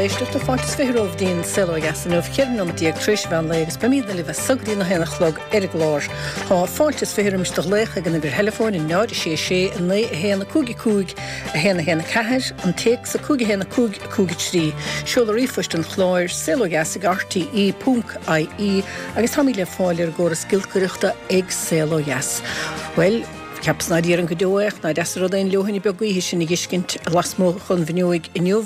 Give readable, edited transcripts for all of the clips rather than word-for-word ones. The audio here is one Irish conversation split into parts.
éisteachta, fáilte is 20 romhaibh dtí'n Saol Ó Dheas inniu, 14 nóiméad tar éis mheán lae agus beimídne libh as so go dtí na haon a chlog ar an gclár. Tá fáilte is 20 roimis do ghlaoch ag an uimhir theileafóin, 0 6 6 9 1 5 5 1 1 4, an téacs 5 1 5 5 3. Seoladh ríomhphoist an chláir, saolodheas ag rte ponc ie agus táimid le fáil ar an gcóras giolcaireachta ag Saol Ó Dheas. Bhuel, Cheapas ná déarfainn go deo é ach ná deas an rud é an leoithne beag gaoithe sin a dh'fheiscint lasmuigh dhon bhfuinneoig inniu.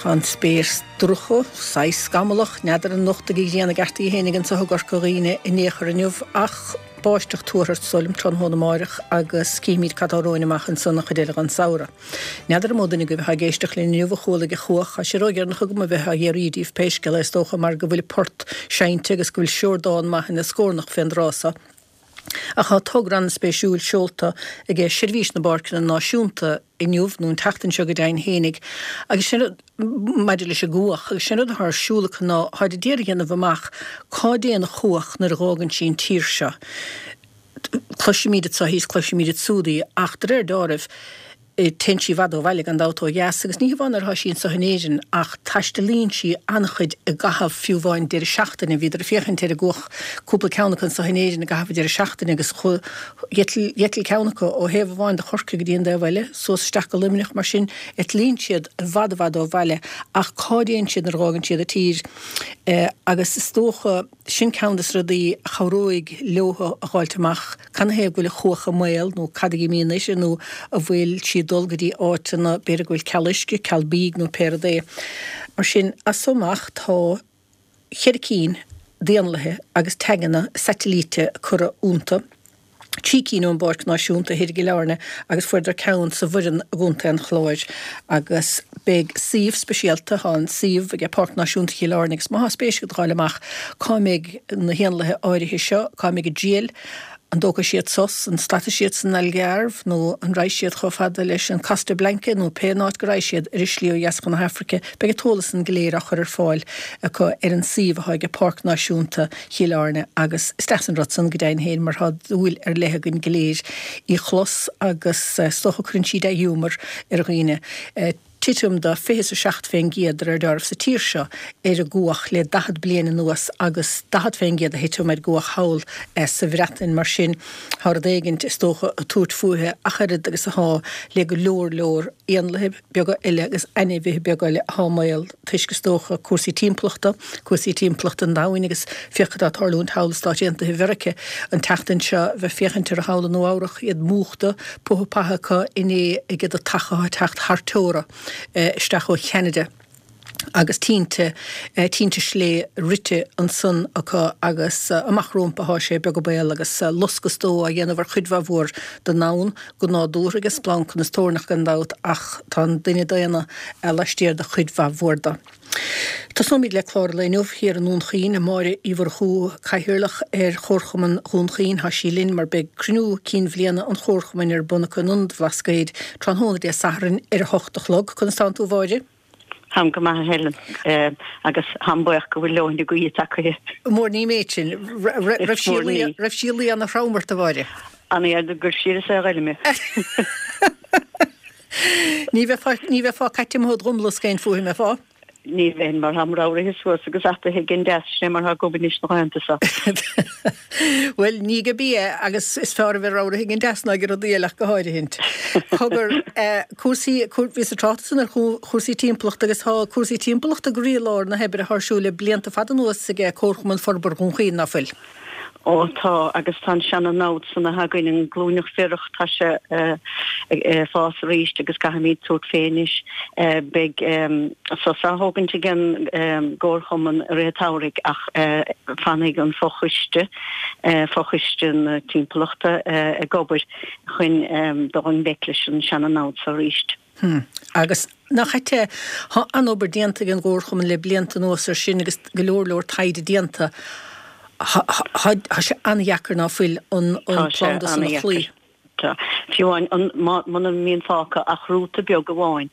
Tá an spéir dorcha, saghas scamallach, n'fheadar an nocht ag an ghrian i gceart í fhéinig anso i gCorca Dhuibhne in aon chor inniu ach báisteach tuartha is dóigh liom tráthnóna amáireach agus cífimid cad tá romhainn amach ansan an chuid eile dhon samhradh. N'fheadar an mó duine agaibh atá ag éisteacht linn inniu a chuala ag an chuach, tá sé ródheireanach agam a bheith á fhiafraí díobh pé scéal é is dócha mar go bhfuil port seinnte agus go bhfuil siordán maith ina scornach fén dtráth so. Ach tá togra an-spéisiúil seolta ag Seirbhís na bPáirceanna Náisiúnta inniu, nó an tseachtain seo go deimhin fhéinig, agus sin rud, maidir leis an gcuach, agus sin rud atá ar siúl acu ná táid a d'iarraidh a dhéanamh amach cá dtéann an chuach nuair a dh'fhágann sí an tír seo. Cloisimíd anso í is cloisimíd ansúd í, ach de réir deáraimh, Téann sí i bhfad ó bhaile gan dabht ó dheas agus ní hamháin nuair atá sí anso in Éirinn ach taistealaíonn sí an-chuid i gcaitheamh fiú amháin deireadh seachtaine. Bhíodar ag féachaint ar an gcuach, cúpla ceann acu anso in Éirinn i gcaitheamh an deireadh seachtaine agus d'eitil ceann acu ó thaobh amháin de Chorcaigh go dtí an taobh eile, suas isteach go Luimneach. Mar sin, eitlíonn siad i bhfad i bhfad ó bhaile ach cá dtéann siad nuair a dh'fhágann siad an tír? Agus is dócha. Sin ceann des rudaí a chabhróidh leotha a dh'fháilt amach canathaobh go bhfuil an chuach i mbaol nó cad a imíonn uirthi nó an bhfuil sí ag dul go dtí áiteanna b'fhéidir go bhfuil ceal uisce, ceal bídh nó pé rud é. Mar sin, as so amach tá cheithre cinn d'éanlaithe agus taganna saitilíte curtha iontu. 3 cinn ón bPáirc Náisiúnta thoir i gCill Airne agus fuaireadar ceann sa Bhoireann i gContae an Chláir agus beidh suíomh speisialta, tá an suíomh ag Páirc Náisiúnta Chill Airne agus má tá spéis agat a dh'fháil amach cá mbeidh na héanlaithe áirithe seo, cá mbeidh a dtriall, an dtógfaidh siad sos, an stadfaidh siad san Algarve nó an raghaidh siad chomh fada leis an Costa Blanca nó pé áit go raghaidh siad ar a slí ó dheas chun na hAfraice, beidh an t-eolas san go léir á chur ar fáil acu ar an suíomh atá ag Páirc Náisiúnta Chill Airne agus is deas an rud san go deimhin féin mar tá dúil ar leith againn go léir í chlos agus is dócha cuireann sí dea-ghiúmar ar dhaoine. Titim de 27 fén gcéad de réir deáraimh sa tír seo ar an gcuach le 40 bliain anuas agus 40 fén gcéad a thitim ar an gcuach thall sa Bhreatain mar sin tá rud éigint is dócha ag tabhairt fúithi ach oiread agus atá le go leor leor éanlaithe beaga eile agus ainmhithe beaga eile atá i mbaol toisc, is dócha, cúrsaí timpeallachta, cúrsaí timpeallachta an domhain agus féach cad tá ag tarlúint thall i Stáit Aontaithe Mheirice an tseachtain seo, bheith féachaint orthu thall i Nua Eabhrach, iad múchta, puth path acu inné ag an deatach atá ag teacht thar teora isteach ó Cheanada. agus tinte, tinte slé rite ansan acu agus amach rómpa athá sé, beag an baol, agus loscadh is dó á dhéanamh ar chuid mhaith mhór den ndomhan, go nádúrtha aige splancanna is toirneach gan dabht ach tá an duine daonna laistiar de chuid mhaith mhór de. Tosóimid le clár an lae inniu thiar i nDún Chaoin, Máire Uí Mhurchú, Cathaoirleach ar Chomharchumann Dhún Chaoin, thá sí linn mar beidh cruinniú cinn bhliana an Chomharchumainn ar bun acu in Ionad Bhlascaoid tráthnóna Dé Sathairn ar 8 a chlog. Conas tánn tú a Mháire? Táim go maith a Helen agus táim buíoch go bhfuil leoithne gaoithe tagtha. Mór ní méid sin. Raibh sí raibh sí ag luí ana-throm ort a Mháire? An fhearr gur siar is é a ghoile mé. Ní bheifeá ní bheifeá caite amuigh id dhomlasc aon fúithi, an mbeifeá? Ní bheinn mar tháim ramhraithe suas agus ataithe ag an deas, sin é mar atá agam anois na laethanta seo. Bhuel, ní go bí é, agus is fearr a bheith ramhraithe ag an deas ná ag rudaí eile ach go háirithint. Cogar, cúrsaí, bhíos ag trácht ansan ar chúrsaí timpeallachta agus tá cúrsaí timpeallachta i gcroílár na hoibre atá ar siúl le blianta fada anuas ag Comharchumann Forbartha Dhún Chaoin, ná fuil? Ó tá, agus tá an seana-namhad san atá againn, an glúineach bhiorach, tá sé ag fás arís agus caithfimid tabhairt fé anois. Beidh sos á thógaint ag an gComharchumann i rith an tsamhraidh ach fanfaidh an fochoiste, fochoiste na timpeallachta, ag obair chun dul i ngleic leis an seana-namhad so arís. Hm. Agus nach ait é, tá an-obair déanta ag an gComharchumann le blianta anuas ar sin agus go leor leor taighde déanta. Tá sé an-dheacair ná fuil an planda san a chloí. Tá. Fiú amháin muna mbíonn fágtha ach rúta beag amháin.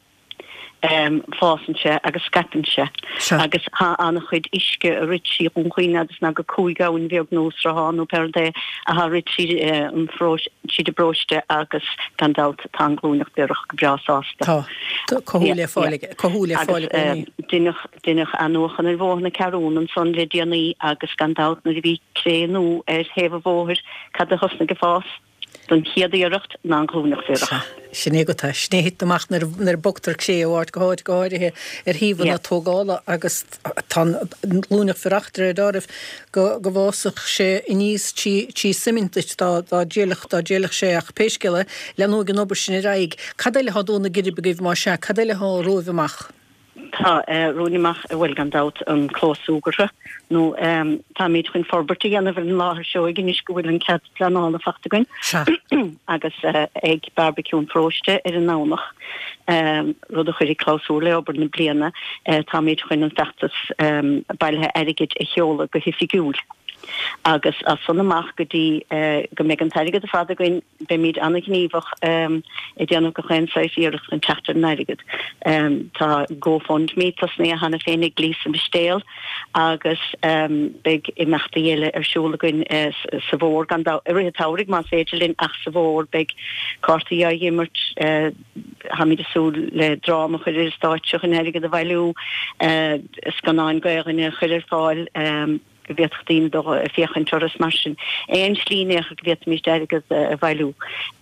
Fásann sé agus scaipeann sé. Agus tá an-chuid uisce ag rith trí Dhún Chaoin agus ná go 5 abhainn bheag nó sruthán nó pé rud é atá ag rith tríd an tríd an bparóiste agus gan dabht tá an ghlúineach biorach go breá sásta. Tá. Tá cothú le fáil aige. Cothú le fáil i gcónaí. Agus deineadh deineadh athnuachan ar bhóthar na Ceathrún ansan le déanaí agus gan dabht nuair a bhí cré nua ar thaobh an bhóthair cad a thosnaigh ag fás? Don chéad iarracht ná an ghlúineach bhiorach. Sea, sin é agat é. Sin é a thiteann amach nuair a bogtar cré ó áit go háit, go háirithe ar shuíomhanna tógála agus tá an ghlúineach bhiorach de réir dealraimh go go bhfásfadh sé aníos trí suimint duit dá dá dtriailfeadh dá dtriailfeadh sé ach pé scéal é, leanóidh an obair sin ar aghaidh. Cad eile atá ag dó na geirbe agaibh más ea? Cad eile atá romhaibh amach? Tá romhainn amach, bhuel, gan dabht, an clós súgartha, nó táimid chun forbairt a dhéanamh ar an láthair seoigh anois go bhfuil an cead pleanála faighte againn, agus ag Bearbaiciú an Pharóiste ar an nDomhnach, rud a chuirfidh clabhsúr le obair na bliana, táimid chun an feachtas bailithe airgid a sheoladh go hoifigiúil. Agus as san amach go dtí go mbeidh an t-airgead ar fad againn, Beimid an-ghníomhach ag déanamh gach aon saghas iarracht chun teacht ar an airgead. Tá GoFundMe tosnaithe cheana féin ag Lisa Mistéal agus beidh imeachtaí eile ar siúl againn sa bhfómhar, gan dabht, i rith an tsamhraidh más féidir linn ach sa bhfómhar beidh cártaí á n-imirt, táimid ag súil le dráma a chur ar an stáitse chun airgead a bhailiú, scannáin Gaelainne a chur ar fáil. go bhféadfadh daoine dul ag féachaint orthu is mar sin. Aon slí in aon chor go bhféadfaimis airgead a bhailiú,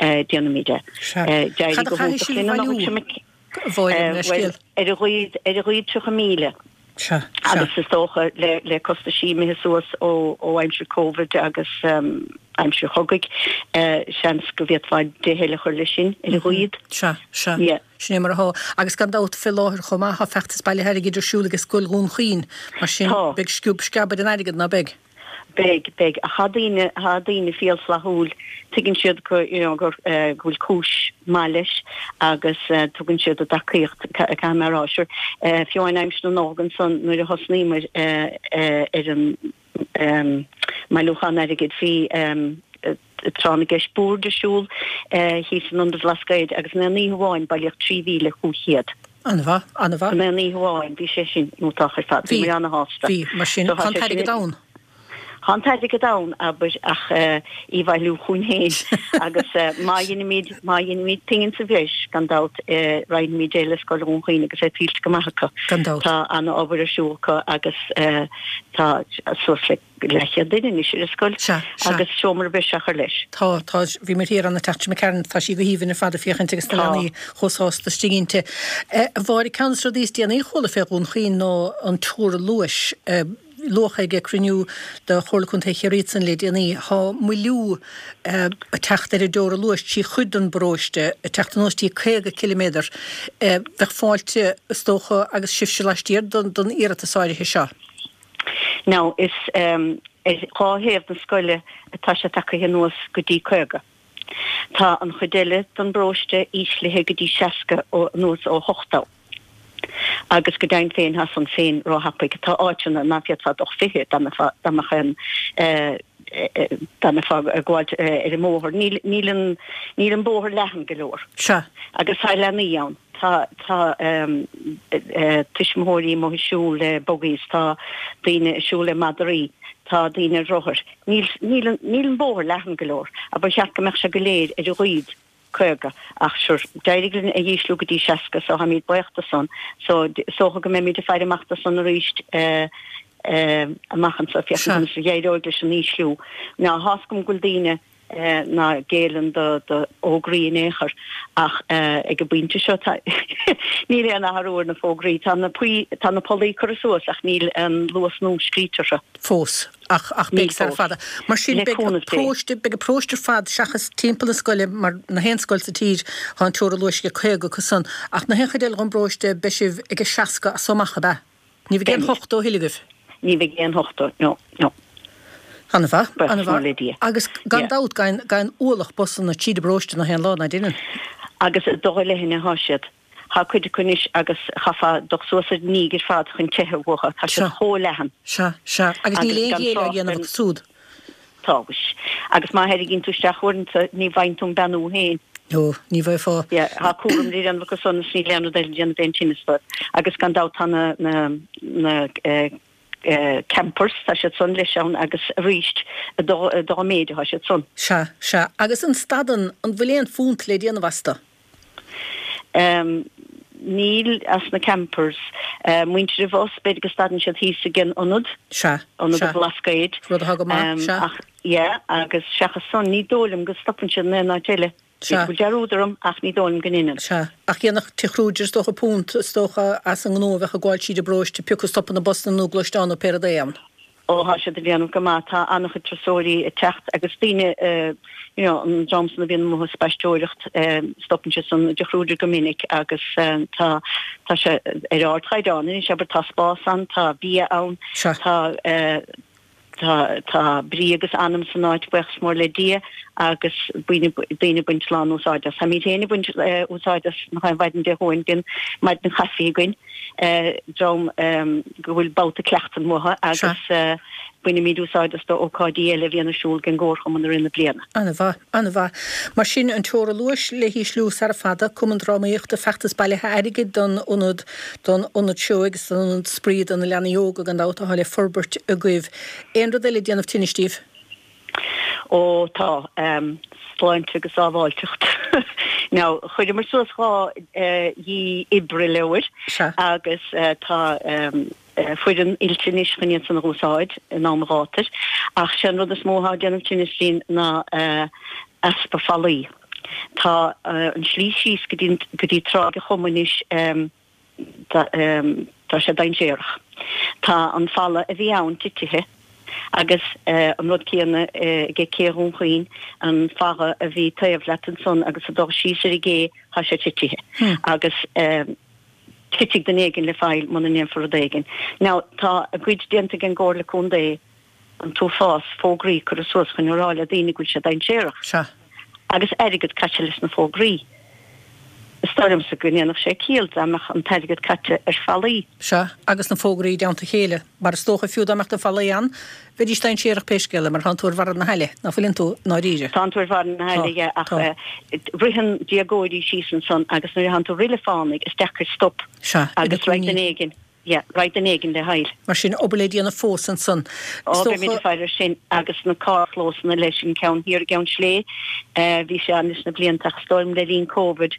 déanfaimid é. Sea. D'éirigh Cad a go chaithfidh hiontach sibh a linn an bhailiú, seo imigh. a Mháire, mo leithscéal? Bhuel, ar a ghlaoid, ar a ghlaoid 30,000. Sea, sea. Agus is dócha le, le costaisí imithe suas ó, ó aimsir Covid agus aimsir chogaidh, seans go bhféadfá 10 eile a chur leis sin, ar a ghlaoid. Sea, sea. Yeah. Sin é mar atá. Agus gan dabht, fé láthair chomh maith, tá feachtas bailithe airgid ar siúl ag Scoil Dhún Chaoin. Mar sin, beidh sciob sceab ar an airgead, ná beidh? Beidh, beidh. Ach tá daoine, tá daoine fial flaithiúil. Tuigeann siad go, you know, gur, go bhfuil cúis maith leis agus tugann siad a dtacaíocht, caithfidh mé a rá. Sure, fiú amháin aimsir na Nollag ansan nuair a thosnaíomar ar an, mbailiúchán airgid. Bhí tráth na gceist boird ar siúl thíos in Ionad an Bhlascaoid agus in aon oíche amháin bailíodh 3,500. An-mhaith, an-mhaith. In aon oíche amháin, bhí sé sin iontach ar fad. Bhí muid ana-shásta. Bhí, mar sin, tá an t-airgead ann. Tá an t-airgead ann, abair, ach í a bhailiú chugainn féin. Agus má dheinimid, má dheinimid pingin sa bhreis, gan dabht, roinnfimid é le Scoil Dhún Chaoin agus é tuillte go maith acu. Gan dabht. Tá an-obair ar siúl acu agus tá suas le leathchéad duine anois ar an scoil. Sea, sea. Agus seomra breise á chur leis. Tá, tá. Bhí mé thiar ann an tseachtain seo imigh tharainn, tá sí go haoibhinn ar fad ag féachaint agus na leanaí chomh sásta istigh inti. A Mháire, ceann de na rudaí is déanaí a chuala fé Dhún Chaoin ná an teora luais. Luadh ag cruinniú de Chomhairle Contae Chiarraí ansan le déanaí, tá moilliú ag teacht ar an dteora luais trí chuid den bparóiste, ag teacht anuas dtí 50 ciliméadar. Bheadh fáilte, is dócha, agus sibhse laistiar den iarratas áirithe seo. Now, is ar dhá thaobh na scoile atá sé tagtha anuas go dtí 50. Tá an chuid eile den bparóiste íslithe go dtí 60 ó anuas ó 80. Agus go deimhin féin tá san féin róthapaidh. Tá áiteanna ná féadfá dul 20 dá mbeifeá dá mbeadh an dá mbeifeá ag gabháilt ar an mbóthar. Níl níl an níl an bóthar leathan go leor. Sea. Agus tá leanaí ann. Tá tá tuismitheoirí amuigh ag siúl le buggies, tá daoine ag siúl le madraí, tá daoine ar rothair. Níl, níl an, níl an bóthar leathan go leor, ach ba cheart go mbeadh sé go léir ar a ghlaoid 50, ach sure, d'éirigh linn é a dh'ísliú go dtí 60, so táimid buíoch de san, so is dócha go mbeimid ag faire amach do san arís eh, eh, amach anseo, féachaint conas a d'éireoidh leis an ísliú. Now, tá's agam go bhfuil daoine ná géilleann do fhógraí in aon chor ach ag an bpointe seo tá níl aon athrú ar na fógraí. Tá na tá na pollaí curtha suas ach níl an luas nua scríte orthu. Fós. Ach ach beidh sara fada. Mar sin beidh an paróiste beidh an paróiste ar fad seachas timpeall na scoile mar na haon scoil sa tír tá an teora luais ag 50 acu san ach na haon chuid eile den bparóiste beidh sibh ag a 60 as so amach ab ea? Ní bheidh aon 80 a thuilleadh agaibh? Ní bheidh aon 80, no, no. An-mhaith, an-mhaith. Agus gan dabht, gabhann ualach busanna tríd an bparóiste na haon lá, ná deineann? Agus ag dul i leithne atá siad. Tá cuid acu anois agus chaithfeá dul suas ar an ndíg ar fad chun teitheadh uathu. Tá siad chomh leathan. Sea, sea. Agus níl aon ghéilleadh á dhéanamh acu súd. Tá, mhuis. Agus má tharraingíonn tú isteach uaireanta, ní bhfaigheann tú an beannú féin. Ó, ní bheifeá. Yeah, tá cúram le déanamh acu san is níl aon rud eile le déanamh aon tinneas dóibh. Agus gan dabht tá na, na, na campers, tá siad san leis ann agus arís dá, dá méid atá siad san. Sea, sea. Agus an stadan, an bhfuil aon phunt le déanamh astu? Em, níl as na campers. Muintir an bhus, b'fhéidir go stadann siad thíos ag an ionad. Sea, Ionad sea. an Bhlascaoid. Rud atá go maith, sea. Ach, yeah, agus seachas san, ní dóigh liom go stopann siad in aon áit eile. Sea. B'fhéidir go bhfuil dearúd orm, ach ní dóigh liom go ndeineann. Sea. Ach dhéanfadh Tigh Kruger, is dócha, punt, is dócha, as an ngnó a bheadh ag gabháil tríd an bparóiste, pé acu stopann na busanna nó gluaisteáin nó pé rud é ann. Ó, tá siad ag déanamh go maith. Tá an-chuid turasóirí ag teacht agus daoine, you know, an dream san a bhíonn amuigh ag spaisteoireacht, stopann siad san i dTigh Kruger go minic agus tá, tá sé ar ardchaighdeán anois, abair, tá spás ann, tá bia ann, tá, tá, tá brí agus anam san áit, buíochas mór le Dia, agus bíonn daoine ag baint lán-úsáid as. Táimid féin ag baint úsáid as nach aon mhaidin Dé Luain, bíonn maidin chaife againn, dream go bhfuil babhta cleachtain uathu agus bainimid úsáid as do ócáidí eile a bhíonn ar siúl ag an gComharchumann i rith na bliana. An-mhaith, an-mhaith. Mar sin, an teora luais le hísliú sara fada, Cumann Drámaíochta, feachtas bailithe airgid don ionad, don ionad seó agus don ionad spraoi do na leanaí óga gan dabht atá le forbairt agaibh. Aon rud eile ag déanamh tinnis daoibh? Ó tá. Sláinte agus sábháilteacht. Now, chuireamar suas 2 dhí oibre leabhair agus tá foireann oilte anois chun iad san a dh'úsáid in am ghátair. Ach sé an rud is mó atá ag déanamh tinnis dínn ná easpa fallaí. Tá an slí síos go dtí go dtí Tráigh a' Choma anois Tá sé dainséarach. Tá an falla a bhí ann titithe agus an rud céanna ag Cé Dhún Chaoin, an falla a bhí taobh leat ansan agus ag dul síos ar an gcé, tá sé titithe agus titfidh duine éigin le faill muna ndéanfar rud éigin. Now tá a gcuid déanta ag an gComhairle Contae an t-uafás fógraí curtha suas chun a rá le daoine go bhfuil sé dainséarach. Sea. Agus airgead caite leis na fógraí. Is dóigh liomsa go ndéanfadh sé ciall dá mbeadh an t-airgead caite ar fallaí. Sea, agus na fógraí i dteannta a chéile. Mar is dócha, fiú dá mbeadh na fallaí ann, bheidís dainséarach pé scéal é, mar tánn tú ar bharra na haille, ná fuileann tú, i ndáiríre? Tánn tú ar bharra na haille, yeah, ach ritheann déagóirí síos ansan agus nuair atánn tú ag rith le fánaidh, is deacair stop. Sea, agus raghaidh duine éigin. Yeah, raghaidh duine éigin le haill. Mar sin, obair le déanamh fós ansan. Ó, beimid ag faire air sin agus na carrchlósanna leis, an ceann thiar i gCeann Slé, bhí sé ann leis na blianta ach is dóigh liom le linn Covid,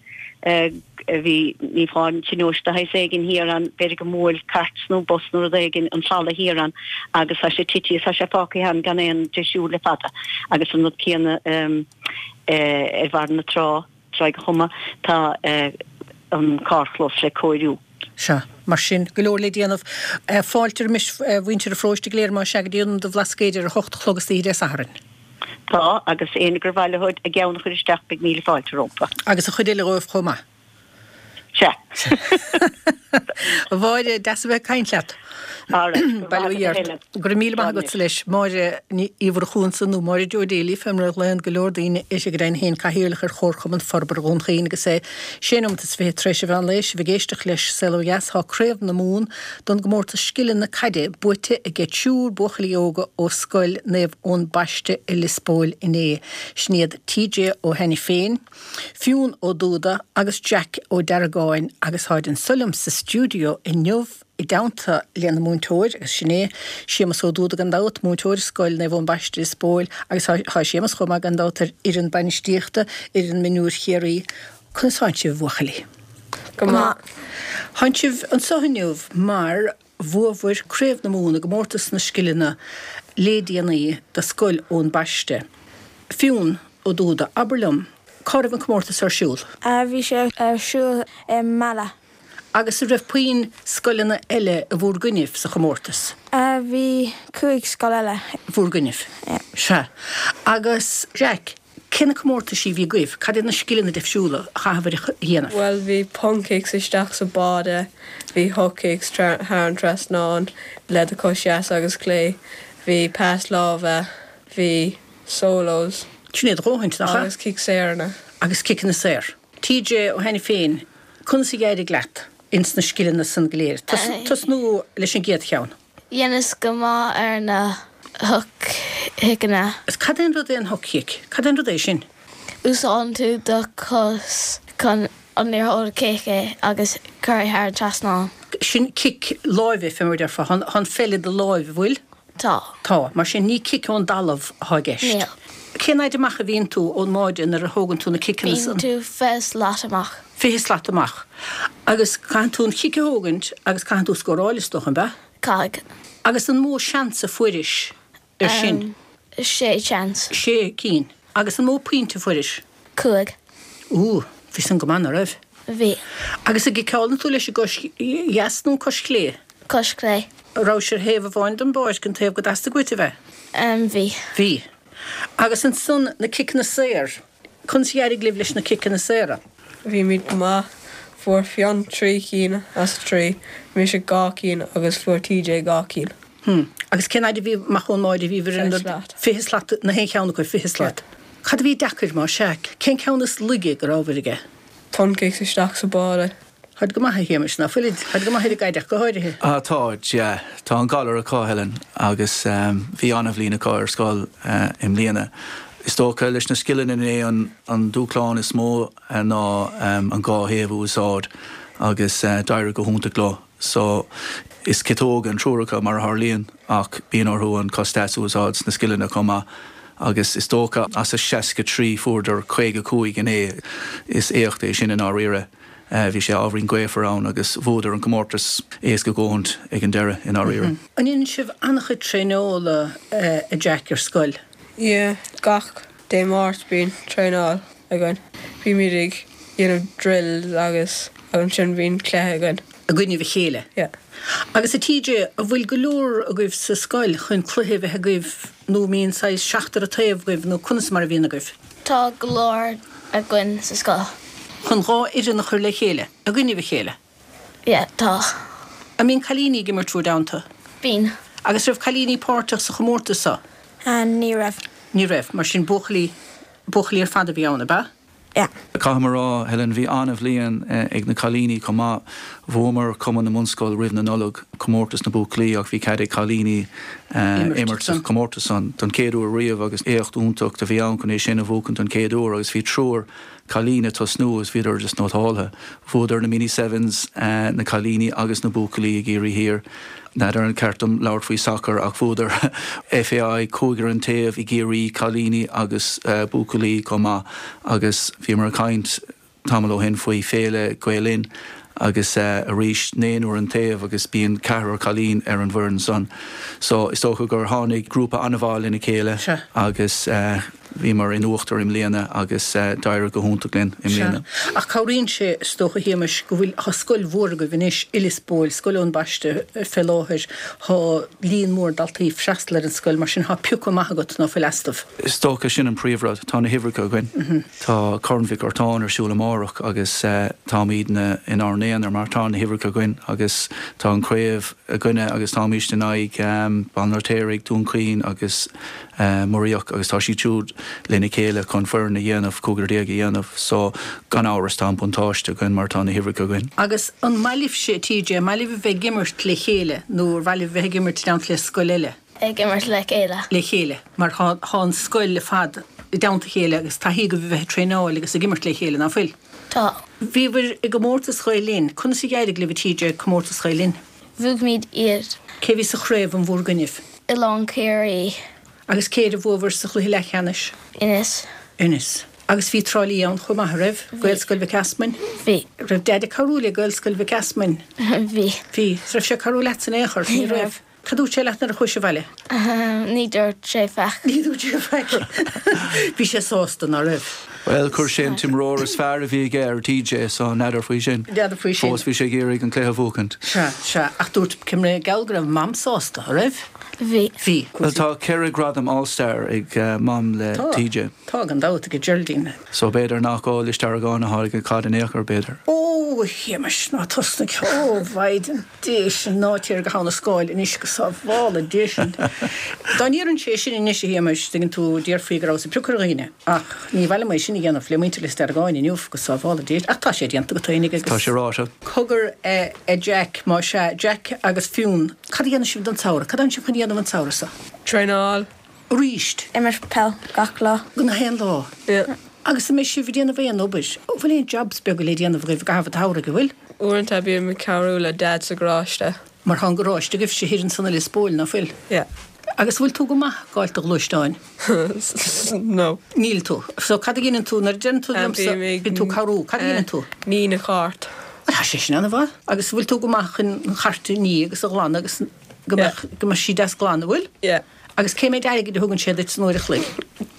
bhí, ní fáin tionóisc de shaghas éigin thiar ann, b'fhéidir go mbuail cairt nó bus nó rud éigin an falla thiar ann agus tá sé tití is tá sé fágtha ann gan aon deisiú le fada agus an rud céanna ar bharr na trá. Tráigh a' Choma, tá an carrchlós le cóiriú. Sea. Mar sin, go leor le déanamh. Fáilte roimis mhuintir an pharóiste go léir, más ea, go dtí Ionad an Bhlascaoid ar a hocht a chlog istoíche Dé Sathairn. Tá, agus éinne gur mhaith leo a gceann a chur isteach, beidh míle fáilte rompu. Agus an chuid eile dhóibh chomh maith. Sea. A Mháire, deas a bheith ag caint leat. Alright, Bail ó Dhia ort. Go raibh míle maith agatsa leis. Máire Ní Mhurchú ansan, nó Máire Joe Daly, fé mar a ghlaonn go leor daoine uirthi go deimhin féin, Cathaoirleach ar Chomharchumann Forbartha Dhún Chaoin agus é sé nóimeat is fiche tar éis an mheán lae, sibh ag éisteacht leis Saol Ó Dheas. Tá Craobh na Mumhan don gcomórtas scileanna caide buaite ag triúr buachaillí óga ó Scoil Naomh Eoin Baiste i Lios Póil inné. Sin iad TJ Ó hAiniféin, Fionn Ó Dúda agus Jack Ó Deargáin agus táid anso liom sa stiúideo inniu i dteannta lena múinteoir, agus sin é Séamus Ó Dúda gan dabht, múinteoir i Scoil Naomh Eoin Baiste i Lios Póil agus tá Séamus chomh maith gan dabht ar fhoireann bainistíochta fhoireann mionúir Chiarraí. Conas tánn sibh, a bhuachaillí? Go maith. Tánn sibh anso inniu mar bhuabhair Craobh na Mumhan i gcomórtas na scileanna lé déanaí do Scoil Eoin Baiste. Fionn Ó Dúda, abair liom, cá raibh an comórtas ar siúl? Bhí sé ar siúl i Mala. Agus an raibh puinn scoileanna eile i bhúr gcoinnibh sa chomórtas? Bhí 5 scoil eile. Bhúr gcoinnibh? Sea. Agus Jack, Cé na comórtaisí a bhí agaibh? Cad iad na scileanna difriúla a chaitheabhair a dhéanamh? Bhuel, bhí punt kicks isteach sa bháide, bhí hook kicks thar an trasnán le do chois dheas agus clé, bhí pas láimhe, bhí solos. Sin é a dhóthain, nach ea? Agus cic saoranna. Agus ciceanna saor. TJ Ó hAiniféin, conas a d'éirigh leat ins na scileanna san go léir? Tosnú leis an gcéad cheann. Dheineas go maith ar na hook kickeanna. Cad é an rud é an hook kick? Cad é an rud é sin? Úsáideann tú do chos chun an liathróid a chic é agus cur é thar an trasnán. Sin cic láimhe, fé mar a déarfá. Tá an pheil i do láimh, an bhfuil? Tá. Tá. Mar sin, ní cic ón dtalamh atá i gceist. Níl. Cén fhaid amach a bhíonn tú ón mbáide nuair a thógann tú na ciceanna san? Bíonn tú 20 slat amach. 20 slat amach. Agus caitheann tú an chic a thógaint agus caitheann tú scóráil, is dócha, an ea? Caithfidh. Agus an mó seans a fuairis ar sin? Sé sheans. Sé cinn. Agus an mó pointe a fuairis? 5. Ooh, bhí san go maith, ná raibh? Bhí. Agus an gciceálann tú leis an gcois dheas nó an cois chlé? Cois chlé. An rabhais ar thaobh amháin den bpáirc, an taobh go dteastaigh uait a bheith? Bhí. Bhí. Agus ansan na ciceanna saor, conas a d'éirigh libh leis na ciceanna saora? Bhímid go maith. Fuair Fionn 3 cinn as 3, mise 2 cinn agus fuair TJ 2 cinn. Hm. Agus cén fhaid a bhí amach ón mbáide a bhíobhair ar an. 20 slat. 20 slat na haon cheann acu, 20 slat. Cad a bhí deacair, más ea? Cén ceann is laige go rabhabhair aige? Punt kicks isteach sa bháide. Táid go maith, a Shéamais, ná fuilid? Táid go maith ar an gcaid ach go háirithe. Ah, táid, yeah. Tá an galar acu, Helen, agus bhí an-bhliain acu ar scoil i mbliana. Is dócha, leis na scileanna é an dúshlán is mó ná an dhá thaobh a úsáid agus d'éirigh go hiontach leo. So, is ciotóga an triúr acu, mar a tharlaíonn, ach bíonn orthu an cos deas a úsáid sna scileanna chomh maith agus is dócha as a 63 fuaireadar 55 inné. Is éacht é sin i ndáiríre. Bhí sé ábhairín gaofar ann agus bhuadar an comórtas éasca dhóthaint ag an deireadh i ndáiríre. An ndéanann sibh an-chuid traenála a Jack ar scoil? Yeah, gach Dé Máirt bíonn traenáil againn. Bímid ag dhéanamh drills agus ansin bíonn cluiche againn. I gcoinnibh a chéile? Yeah. Agus a TJ, an bhfuil go leor agaibh sa scoil chun cluiche a bheith agaibh nó an mbíonn saghas seachtar an taobh agaibh nó conas mar a bhíonn agaibh? Tá go leor againn sa scoil. Chun 2 fhoireann a chur le chéile, i gcoinnibh a chéile. Yeah, tá. An mbíonn cailíní ag imirt bhur dteannta? Bíonn. Agus raibh cailíní páirteach sa chomórtas seo? Ní raibh. Ní raibh. Mar sin buachaillí, buachaillí ar fad a bhí ann, ab ea? Yeah. Caithfidh mé a rá, Helen, bhí an-bhliain ag na cailíní chomh maith. Bhuamar Cumann na mBunscol roimh na Nollag, comórtas na buachaillí ach bhí cead ag cailíní imirt sa chomórtas san don chéad uair riamh agus éacht iontach a bhí ann chun é sin a bhuachan don chéad uair agus bhí triúr cailín ag tosnú agus bhíodar just nótáltha. Bhuadar na Mini Sevens, na cailíní agus na buachaillí i gCiarraí Thiar. N'fheadar an ceart dom labhairt faoi sacar ach bhuadar FAI cúigear an taobh i gCiarraí, cailíní agus buachaillí chomh maith agus bhíomar ag caint tamall ó shin faoi Féile Gael Linn agus arís naonúr an taobh agus bíonn ceathrar cailín ar an bhfoireann san. So is dócha gur tháinig grúpa an-mhaith lena chéile agus bhíomar in uachtar i mbliana agus d'éirigh go hiontach linn i mbliana. Sea. Ach cabhraíonn sé, is dócha, a Shéamais, go bhfuil, tá scoil mhór agaibh anois i Lios Póil, Scoil Eoin Baiste fé láthair, tá líon mór daltaí ag freastal ar an scoil, mar sin tá piocadh maith agat ná fuil astu. Is dócha sin an príomhrud, tá na huimhreacha againn. Tá Corn Mhic Artáin ar siúl amárach agus táimidne inár n-aonar mar tá na huimhreacha againn agus tá an chraobh againne agus táimíst in aghaidh Baile an Fheirtéaraigh, Dún Chaoin agus Muiríoch agus tá siad siúd lena chéile chun foireann a dhéanamh, cúigear déag a dhéanamh. So, gan amhras tá an buntáiste againn mar tá na huimhreacha againn. Agus an maith libhse, TJ, an maith libh a bheith ag imirt le chéile nó ar mhaith libh a bheith ag imirt i dteannta le scoil eile? Ag imirt le chéile. Le chéile, mar tá tá an scoil ar fad i dteannta a chéile agus taithí agaibh a bheith ag traenáil agus ag imirt le chéile, ná fuil? Tá. Bhíobhair i gcomórtas Ghael Linn. Conas a d'éirigh libh, a TJ, i gcomórtas Ghael Linn? Bhuaigh iad. Cé a bhí sa chraobh in bhúr gcoinnibh? Oileán Ciarraí. Agus cé air a bhuabhair sa chluiche leathcheannais? Inis. Inis. Agus bhí Trá Lí ann chomh maith, a raibh? Bhí. Gaelscoil Mhic Easmainn? Bhí. Raibh Deaid ag cabhrú le Gaelscoil Mhic Easmainn? Bhí. Bhí. Is raibh sé ag cabhrú leatsa in aon chor? Ní raibh. Cad dúirt sé leat nuair a chuais abhaile? Ní dúirt sé faic. Ní dúirt sé faic. Bhí sé sásta, ná raibh? Bhuel, chuir sé an t-imreoir is fearr a bhí aige ar TJ, so n'fheadar faoi sin. N'fheadar faoi sin. Fós bhí sé ag iarraidh an cluiche a bhuachaint. Sea, sea. Ach dúirt, cé mar gheall go raibh Mam sásta, a raibh? Bhí. Bhí. Bhuel, tá 4 ghradam All Star ag Mam le Tá. TJ. Tá, gan dabht, ag Geraldine. So b'fhéidir nach ó Lios Deargáin a tháinig an chaid in aon chor, b'fhéidir. Ó, a Shéamais, ná tosnaigh. Ó, Mhaighdean. Dé sin, ná téir go hAbha na Scáil anois go sábhála Dia sinn. Dá ndéarfainnse é sin anois, a Shéamais, tuigeann tú, déarfaí go rabhas ag piocadh ar dhaoine. Ach ní mhaith liom é sin a dhéanamh le muintir Lios Deargáin inniu, go sábhála Dia. Ach tá sé déanta go taoinig agus. Tá sé ráite. Cogar, a Jack, más ea, Jack agus Fionn, cad a dhéanfaidh sibh don tsamhradh? Cad atánn sibh chun a dhéanamh an tsamhradh seo? Traenáil. Arís. Imirt peil gach lá. Gach aon lá? Yeah. Agus an mbeidh sibh ag déanamh aon obair? An bhfuil aon jobs beaga le déanamh agaibh i gcaitheamh an tsamhraidh, an bhfuil? Uaireanta bím ag cabhrú le Dad sa gharáiste. Mar tá an garáiste agaibhse thiar ansan i Lios Póil, ná fuil? Yeah. Agus an bhfuil tú go maith ag fáilt do ghluaisteáin? No. Níl tú. So cad a dheineann tú nuair a deireann tú liomsa bíonn tú ag cabhrú, cad a dheineann tú? Ní na cairt. Bhuel tá sé sin ana-mhaith. Agus an bhfuil tú go maith chun an chairt a ní agus a ghlanadh agus go mbeadh, go mbeadh sí deas glan, an bhfuil? Yeah. Agus cé méid airgid a thugann sé duit san uair a chloig?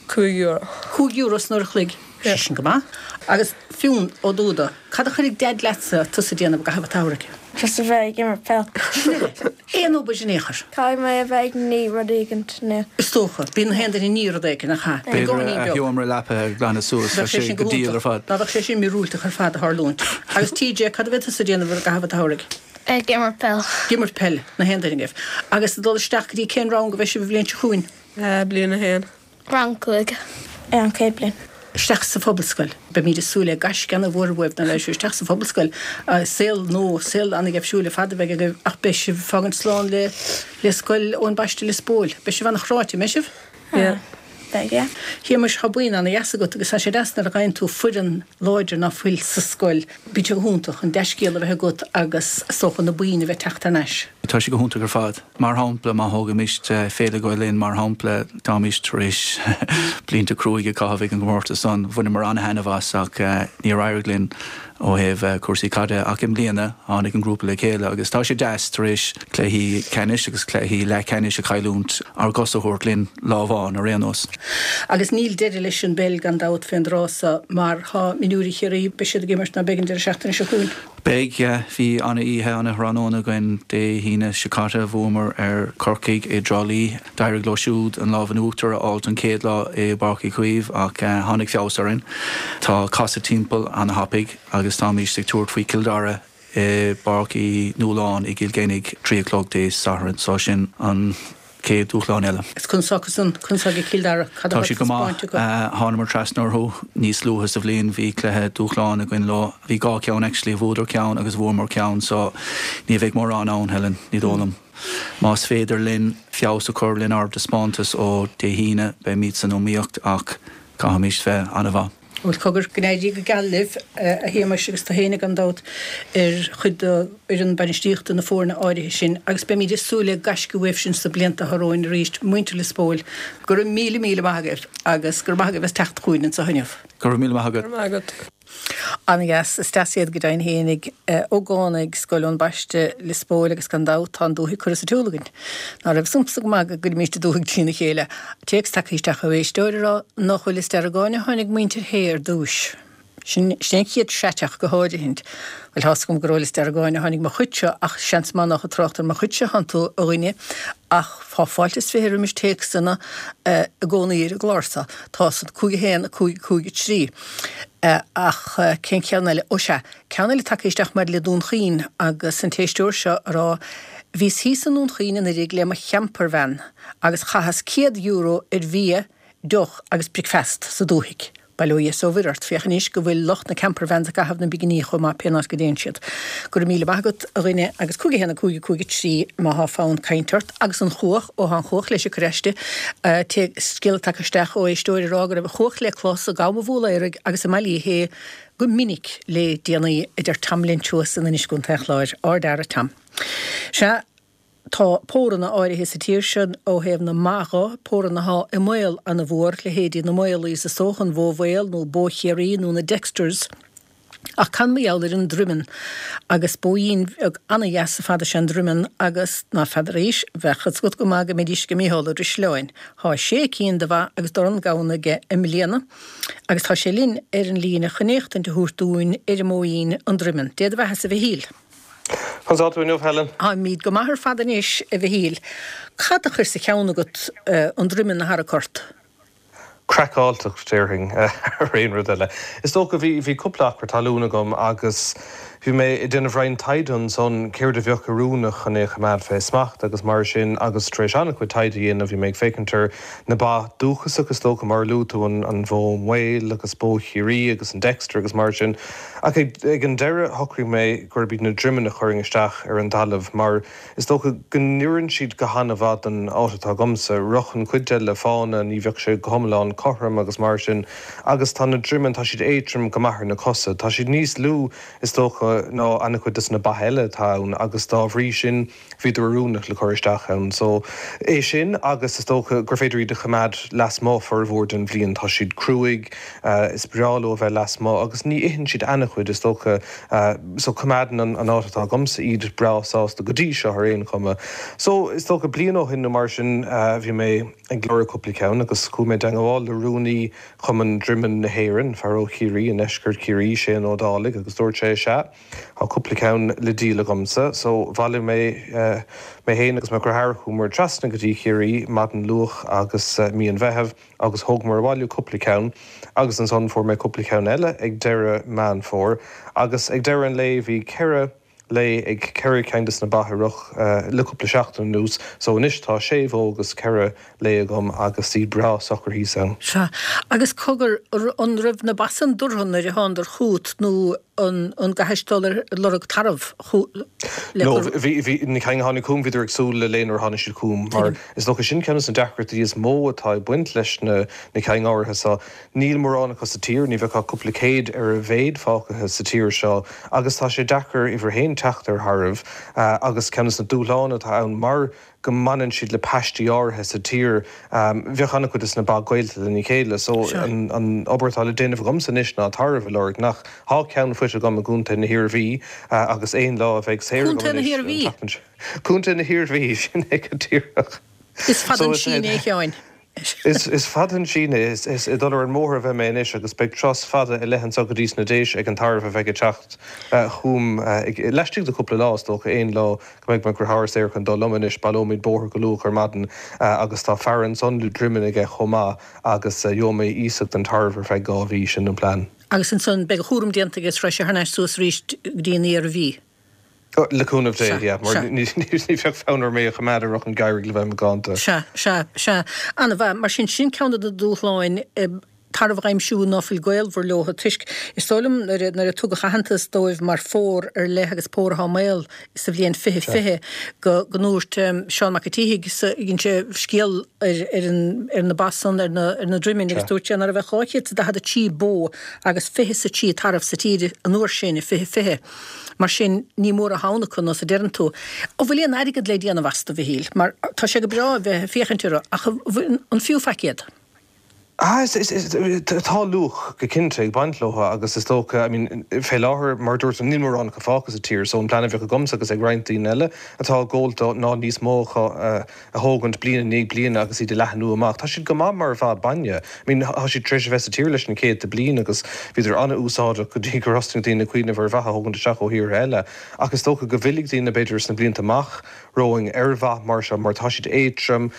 €5. €5 san uair a chloig. Sé sin go maith. Agus Fionn Ó Dúda, cad a chuirfidh Deaid leatsa tusa a dhéanamh i gcaitheamh an tsamhraidh? Just a bheith ag imirt peil. Sin uile. Aon obair in aon chor? Caithfidh mé a bheith ag ní rud éigint nó. Is dócha. Bíonn na haon duine ag ní rud éigin, nach ea? B'fhéidir a sheomra leapa a ghlanadh suas. Bheadh sé sin go diail ar fad. Ná bheadh sé sin míorúilteach ar fad a tharlúint. Agus TJ, cad a bheidh tusa a déanamh i gcaitheamh an tsamhraidh? Ag imirt peil. Ag imirt peil, na haon duine agaibh. Agus ag dul isteach go dtí cén rang a bheidh sibh an bhliain seo chugainn? Bliain 1. Rang 5. Ar an chéad bliain. Isteach sa phobalscoil. Beimid ag súil le gaisce ana-mhór uaibh nuair a bheidh sibh isteach sa phobalscoil. Saol nua, saol ana-gheimhsiúil ar fad a bheidh agaibh ach beidh sibh ag fágaint slán le le Scoil Eoin Baiste Lios Póil. Beidh sibh ana-chráite, an mbeidh sibh? Yeah. Beidh, yeah. Shéamais, tá buíon ana-dheas agat agus tá sé deas nuair a fhaigheann tú foireann láidir ná fuil sa scoil. Bíonn sé go hiontach an dea-scéal a bheith agat agus is dócha na buíon a bheith ag teacht thar n-ais. Tá sé go hiontach ar fad. Mar shampla, má thógaimis Féile Gael Linn mar shampla, táimís tar éis blianta cruaidh a chaitheamh ag an gcomórtas san. Bhaineamar an-thaitneamh as ach níor éirigh linn ó thaobh cúrsaí caide. Ach i mbliana, tháinig an grúpa le chéile agus tá sé deas tar éis cluichí ceannais agus cluichí leathcheannais a chailliúint, ár gcos a thabhairt linn lá amháin ar aon nós. Agus níl deireadh leis an bpeil gan dabht fén dtráth so mar tá mionúirí Chiarraí, beidh siad ag imirt ná beidh an deireadh seachtaine seo chugainn. Beidh, yeah. Bhí ana-oíche, ana-thráthnóna againn Dé hAoine seo caite. Bhuamar ar Chorcaigh i dTrá Lí. D'éirigh leo siúd an lámh in uachtar a fháilt an chéad lá i bPáirc Uí Chaoimh ach tháinig feabhas orainn. Tá casadh timpeall ana-thapaidh agus táimíst ag tabhairt faoi Chill Dara i bPáirc Uí Nualláin i gCill Chainnigh, 3 a chlog Dé Sathairn. So sin an chéad dúshlán eile. Is conas atá acusan, conas atá ag Cill Dara, cad Tá siad go maith. Thánamar trasna orthu níos luaithe sa bhliain. Bhí cluiche dúshláin againn leo. Bhí dhá cheann actually, bhuadar ceann agus bhuamar ceann so ní bheidh mórán ann, Helen, ní dóigh liom. Más féidir linn feabhas a chur lenár dtaispeántas ó Dé hAoine, beimid san iomaíocht ach caithfimid bheith an-mhaith. Bhuel, cogar, go n-éirí go geal libh, a Shéamais, agus tú féin, gan dabht, ar chuid d'fhoireann bainistíochta na foirne áirithe sin, agus beimid ag súil le gaisce uaibh sin sna blianta atá romhainn arís, muintir Lios Póil. Go raibh míle, míle maith agaibh, agus go raibh maith agaibh as teacht chugainn anseo inniu. Go raibh míle maith agat. Go raibh maith agat. An-dheas. Is deas iad go deimhin fhéinig. Ógánaigh Scoil Eoin Baiste, Lios Póil agus gan dabht tá an dúthaigh curtha sa tsiúl againn. Ná raibh 'fhios a'msa go maith go gcuirimíst an dúthaigh trína chéile. Téacs tagtha isteach ó éisteoir ag rá nach ó Lios Deargáin a tháinig muintir Shé ar dtúis. Sin sin an chéad seiteach go háirithint. Bhuel tá's agam gur ó Lios Deargáin a tháinig mo chuidse ach seans maith nách ag trácht ar mo chuidse atánn tú a dhuine ach tá fáilte is 20 roimis téacsanna i gcónaí ar an gclár so. Tá san 5 1 5 5 3. Ach cén ceann eile? Ó sea, ceann eile tagtha isteach maidir le Dún Chaoin agus an t-éisteoir seo ag rá Bhíos thíos i nDún Chaoin anuiridh le mo champervan agus chaitheas €100 ar bhia, deoch agus bricfeast sa dúthaigh. Bail ó Dhia 's ó Mhuire ort, féach anois go bhfuil lucht na campervans ag caitheamh na bpinginí chomh maith pé áit go dtéann siad. Go raibh míle maith agat, a dhuine, agus 5 1 5 5 3 má thá fonn cainte ort. Agus an chuach, ó thá an chuach leis ag cur aisti, scéala tagtha isteach ó éisteoir ag rá go raibh an chuach le clos i gCam an Bhúlaoraigh agus i mBaile Uí Shé go minic le déanaí, a deir Tom Lynch thuas in Inis gContae an Chláir. Ardfhear é Tom. Sea. Tá póranna áirithe sa tír seo ó thaobh na mba dho, póranna athá i mbaol ana-mhór, leithéidí na Maolaí is dócha, an bhó mhaol nó bó Chiarraí nó na Dexters. Ach cad mar gheall ar an Droimeann? Agus bóín bheag ana-dheas ar fad is ea an Droimeann agus, ná feadar aois, bheadh fhios agat go maith go mbeidís ag Mícheál Ó Drisleáin. Thá sé cinn de bha agus dorn gamhna aige i mbliana agus tá sé linn ar an líne chun éachtaint a thabhairt dúinn ar an mbóín, an Droimeann. Dé do bheathasa a Mhichíl. Conas tá tú inniu, Helen? Táimid go maith ar fad anois, a Mhichíl. Cad a chuir sa cheann agat an Droimeann a tharrac ort? Craiceáilteacht, déarfainn, thar aon rud eile. Is dócha, bhí, bhí cúpla acra talún agam agus bhí mé ag déanamh roinnt taighde ansan, céard a bheadh oiriúnach chun é a choimeád fé smacht agus mar sin agus tar éis an-chuid taighde a dhéanamh bhí mé ag féachaint ar na ba dúchasach is dócha, mar a luaigh tú, an, an bhó mhaol agus bó Chiarraí agus an Dexter agus mar sin. Ach ag an deireadh shocraigh mé gurb iad na droimeann a chuirfinn isteach ar an dtalamh mar is dócha go n-oireann siad go han-mhaith don áit atá agamsa. Rachadh an chuid eile le fána, ní bheadh sé go hiomlán. cothrom agus mar sin agus tá na droimeann, tá siad éadtrom go maith ar na cosa. Tá siad níos lú, is dócha, ná an-chuid de na ba eile atá ann agus dá bhrí sin, bhíodar oiriúnach le cur isteach ann. So, é sin agus is dócha gur féidir iad a choimeád lasmuigh formhór den bhliain. Tá siad cruaidh, is breá leo a bheith lasmuigh agus ní itheann siad an-chuid is dócha. So, coimeádann an áit atá agamsa iad breá sásta go dtí seo ar aon chuma. So, is dócha bliain ó shin nó mar sin bhí mé ag lorg cúpla ceann agus chuaigh mé i dteangmháil le rúnaí Chumann Droimeann na hÉireann, fear ó Chiarraí, i ndeisceart Chiarraí, Séan Ó Dálaigh agus dúirt sé, sea, Tá cúpla ceann le díol agamsa, so bhailigh mé mé féin agus mo dheartháir, chuamar trasna go dtí Ciarraí maidin luath agus mí an Mheithimh agus thógamar abhaile cúpla ceann agus ansan fuair mé cúpla ceann eile ag deireadh Meán Fómhair agus ag deireadh an lae bhí 4 lao ag 4 ceann des na ba i Roch le cúpla seachtain anuas so anois tá sé bhó agus 4 lao agam agus iad breá socair thíos ann. Sea. Agus cogar, an raibh na ba san dúrtha nuair a thánadar chugat nó an an gcaithis dul ar lorg tarbh le No, cur. bhí, bhí, na cinn a tháinig chugam, bhíodar ag súil le lao nuair a tháinig siad chugam mar Tuigim. is dócha sin ceann de na deacrachtaí is mó atá ag baint leis na, na cinn áirithe seo. Níl mórán acu sa tír, ní bheadh ach cúpla céad ar a mhéad fágtha sa tír seo agus tá sé deacair uimhir a haon teacht ar thairbh agus ceann de na dúshláin atá ann mar go mbaineann siad le paistí áirithe sa tír. Bheadh an-chuid de na ba gaolta lena chéile so an obair atá le déanamh agamsa anois ná tarbh a lorg. Nach, tá ceann faighte agam i gContae na hIarmhí agus aon lá a bheidh saor agam Contae na anois an hIarmhí? tseachtain seo. Contae na hIarmhí, sin é go díreach. Is fada So an is síneadh é, a Sheáin. Is fada an síneadh é. Is ag dul ar an mbóthar a bheidh mé anois agus beidh turas fada i leith anso go dtí sna Déise ag an tarbh a bheidh ag teacht chugam laistigh de chúpla lá, is dócha, aon lá go mbeidh mo dheartháir saor chun dul liom anois. Baileoimid bóthar go luath ar maidin agus tá fear ansan le droimeann aige chomh maith agus gheobhaidh mé iasacht den tarbh ar feadh 2 mhí, sin an plean. Agus ansan beidh a chúram déanta aige is raghaidh sé thar n-ais suas arís go dtí an Iarmhí. Le cúnamh Dé, Sea, yeah, mar sea. ní bheadh fonn orm é a choimeád i Roch an Gheimhridh le bheith macánta. Sea, sea, sea. Ana-mhaith. Mar sin, sin ceann de na dúshláin, tarbh a aimsiú ná fuil gaolmhar leo, toisc, is dóigh liom, nuair a, nuair a tugadh aitheantas dóibh mar phór ar leith agus pór atá i mbaol sa bhliain 2020, go, go ndúirt Seán Mac a' tSíthigh sa, dhein sé scéal ar, ar an, ar na ba san, ar na, ar na droiminn agus Sea. dúirt sé ná raibh ach 243 bó agus 23 tarbh sa tír an uair sin i 2020. Mar sin, ní mór atá ann acu, nós a deireann tú. An bhfuil aon airgead le déanamh astu, a Mhichíl? Mar tá sé go breá a bheith ag féachaint orthu, ach an fiú faic iad? Ah, is, is, is, tá luach go cinnte ag baint leo agus is dócha, I mean, fé láthair, mar a dúirt tú, níl mórán acu fágtha sa tír, so an plean a bheadh agamsa agus ag roinnt daoine eile atá ag gabháil dó ná níos mó acu a, a thógaint bliain i ndiaidh bliana agus iad a leathnú amach. Tá siad go maith mar bha bainne. I mean, tá siad tar éis a bheith sa tír leis na céadta bliain agus bhíodar an-úsáideach go dtí gur thosnaigh daoine ag cuimhneamh ar bha a thógaint isteach ó thíortha eile. Ach is dócha go bhfillfidh daoine, b'fhéidir, sna blianta amach romhainn ar bha mar seo mar tá siad éadtrom,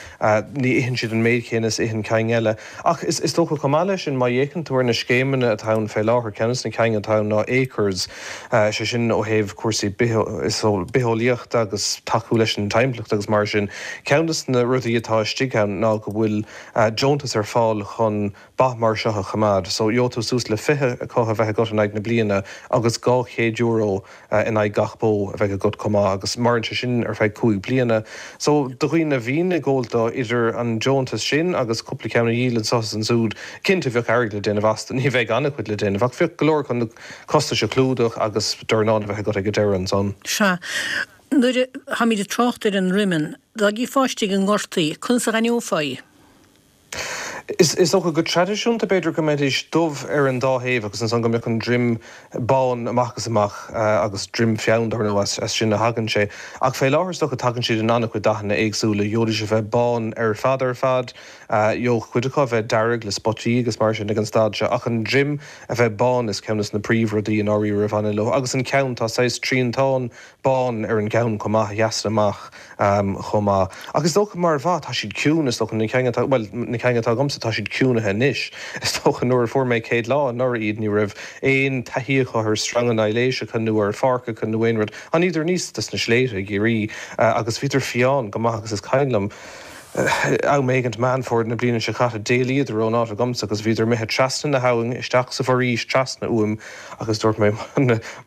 ní itheann siad an méid chéanna is a itheann cinn eile. Ach is dócha chomh maith leis sin, má fhéachann tú ar na scéimeanna atá ann fé láthair, ceann de na cinn atá ann ná Acres, sé sin ó thaobh cúrsaí bitheolaíochta agus tacú leis an timpeallacht agus mar sin. Ceann de na rudaí atá istigh ann ná go bhfuil deontas ar fáil chun ba mar seo a choimeád. So gheobhaidh tú suas le 20 acu a bheith agat in aghaidh na bliana agus €200 in aghaidh gach bó a bheidh agat chomh maith agus maireann sé sin ar feadh 5 bliana. So do dhaoine a bhíonn ag gabháil dó, idir an deontas sin agus cúpla ceann a dhíol anso is ansúd, cinnte bheadh airgead le déanamh astu. Ní bheidh an-chuid le déanamh ach bheadh go leor chun na costais a chlúdach agus dornán a bheith agat ag an deireadh ansan. Sea. Nuair a tháimid ag trácht ar an ndroimeann, dá gcífeá istigh i ngort í, conas a dh'aithneofá í? Is dócha go traidisiúnta, b'fhéidir, go mbeidís dubh ar an dá thaobh agus ansan go mbeadh an droim bán amach is amach agus droim feann, dar ndóigh, as sin a thagann sé. Ach fé láthair, is dócha, tagann siad in an-chuid dathanna éagsúla. Gheobhaidís a bheith bán ar fad ar fad, gheobhadh cuid acu a bheith dearg le spotaí agus mar sin ag an staid seo, ach an droim a bheith bán is ceann des na príomhrudaí i ndáiríre a bhaineann leo. Agus an ceann, tá saghas triantán bán ar an gceann chomh maith, a sheasann amach chomh maith. Ach is dócha mar bha, tá siad ciúin, is dócha, na cinn atá, bhuel, na cinn atá agamsa, tá siad ciúnaithe anois. Is dócha nuair a fuair mé céad lá anuraidh iad, ní raibh aon taithí acu ar sreanga aibhléiseacha nó ar pháirceacha nó aon rud. Tháiníodar aníos dos na sléibhte i gCiarraí agus bhíodar fiáin go maith agus is cuimhin liom. Am éigint Meán Fómhair na bliana seo caite, d'éalaíodar ón áit agamsa agus bhíodar imithe trasna na habhann isteach sa bhforaois trasna uaim agus dúirt mé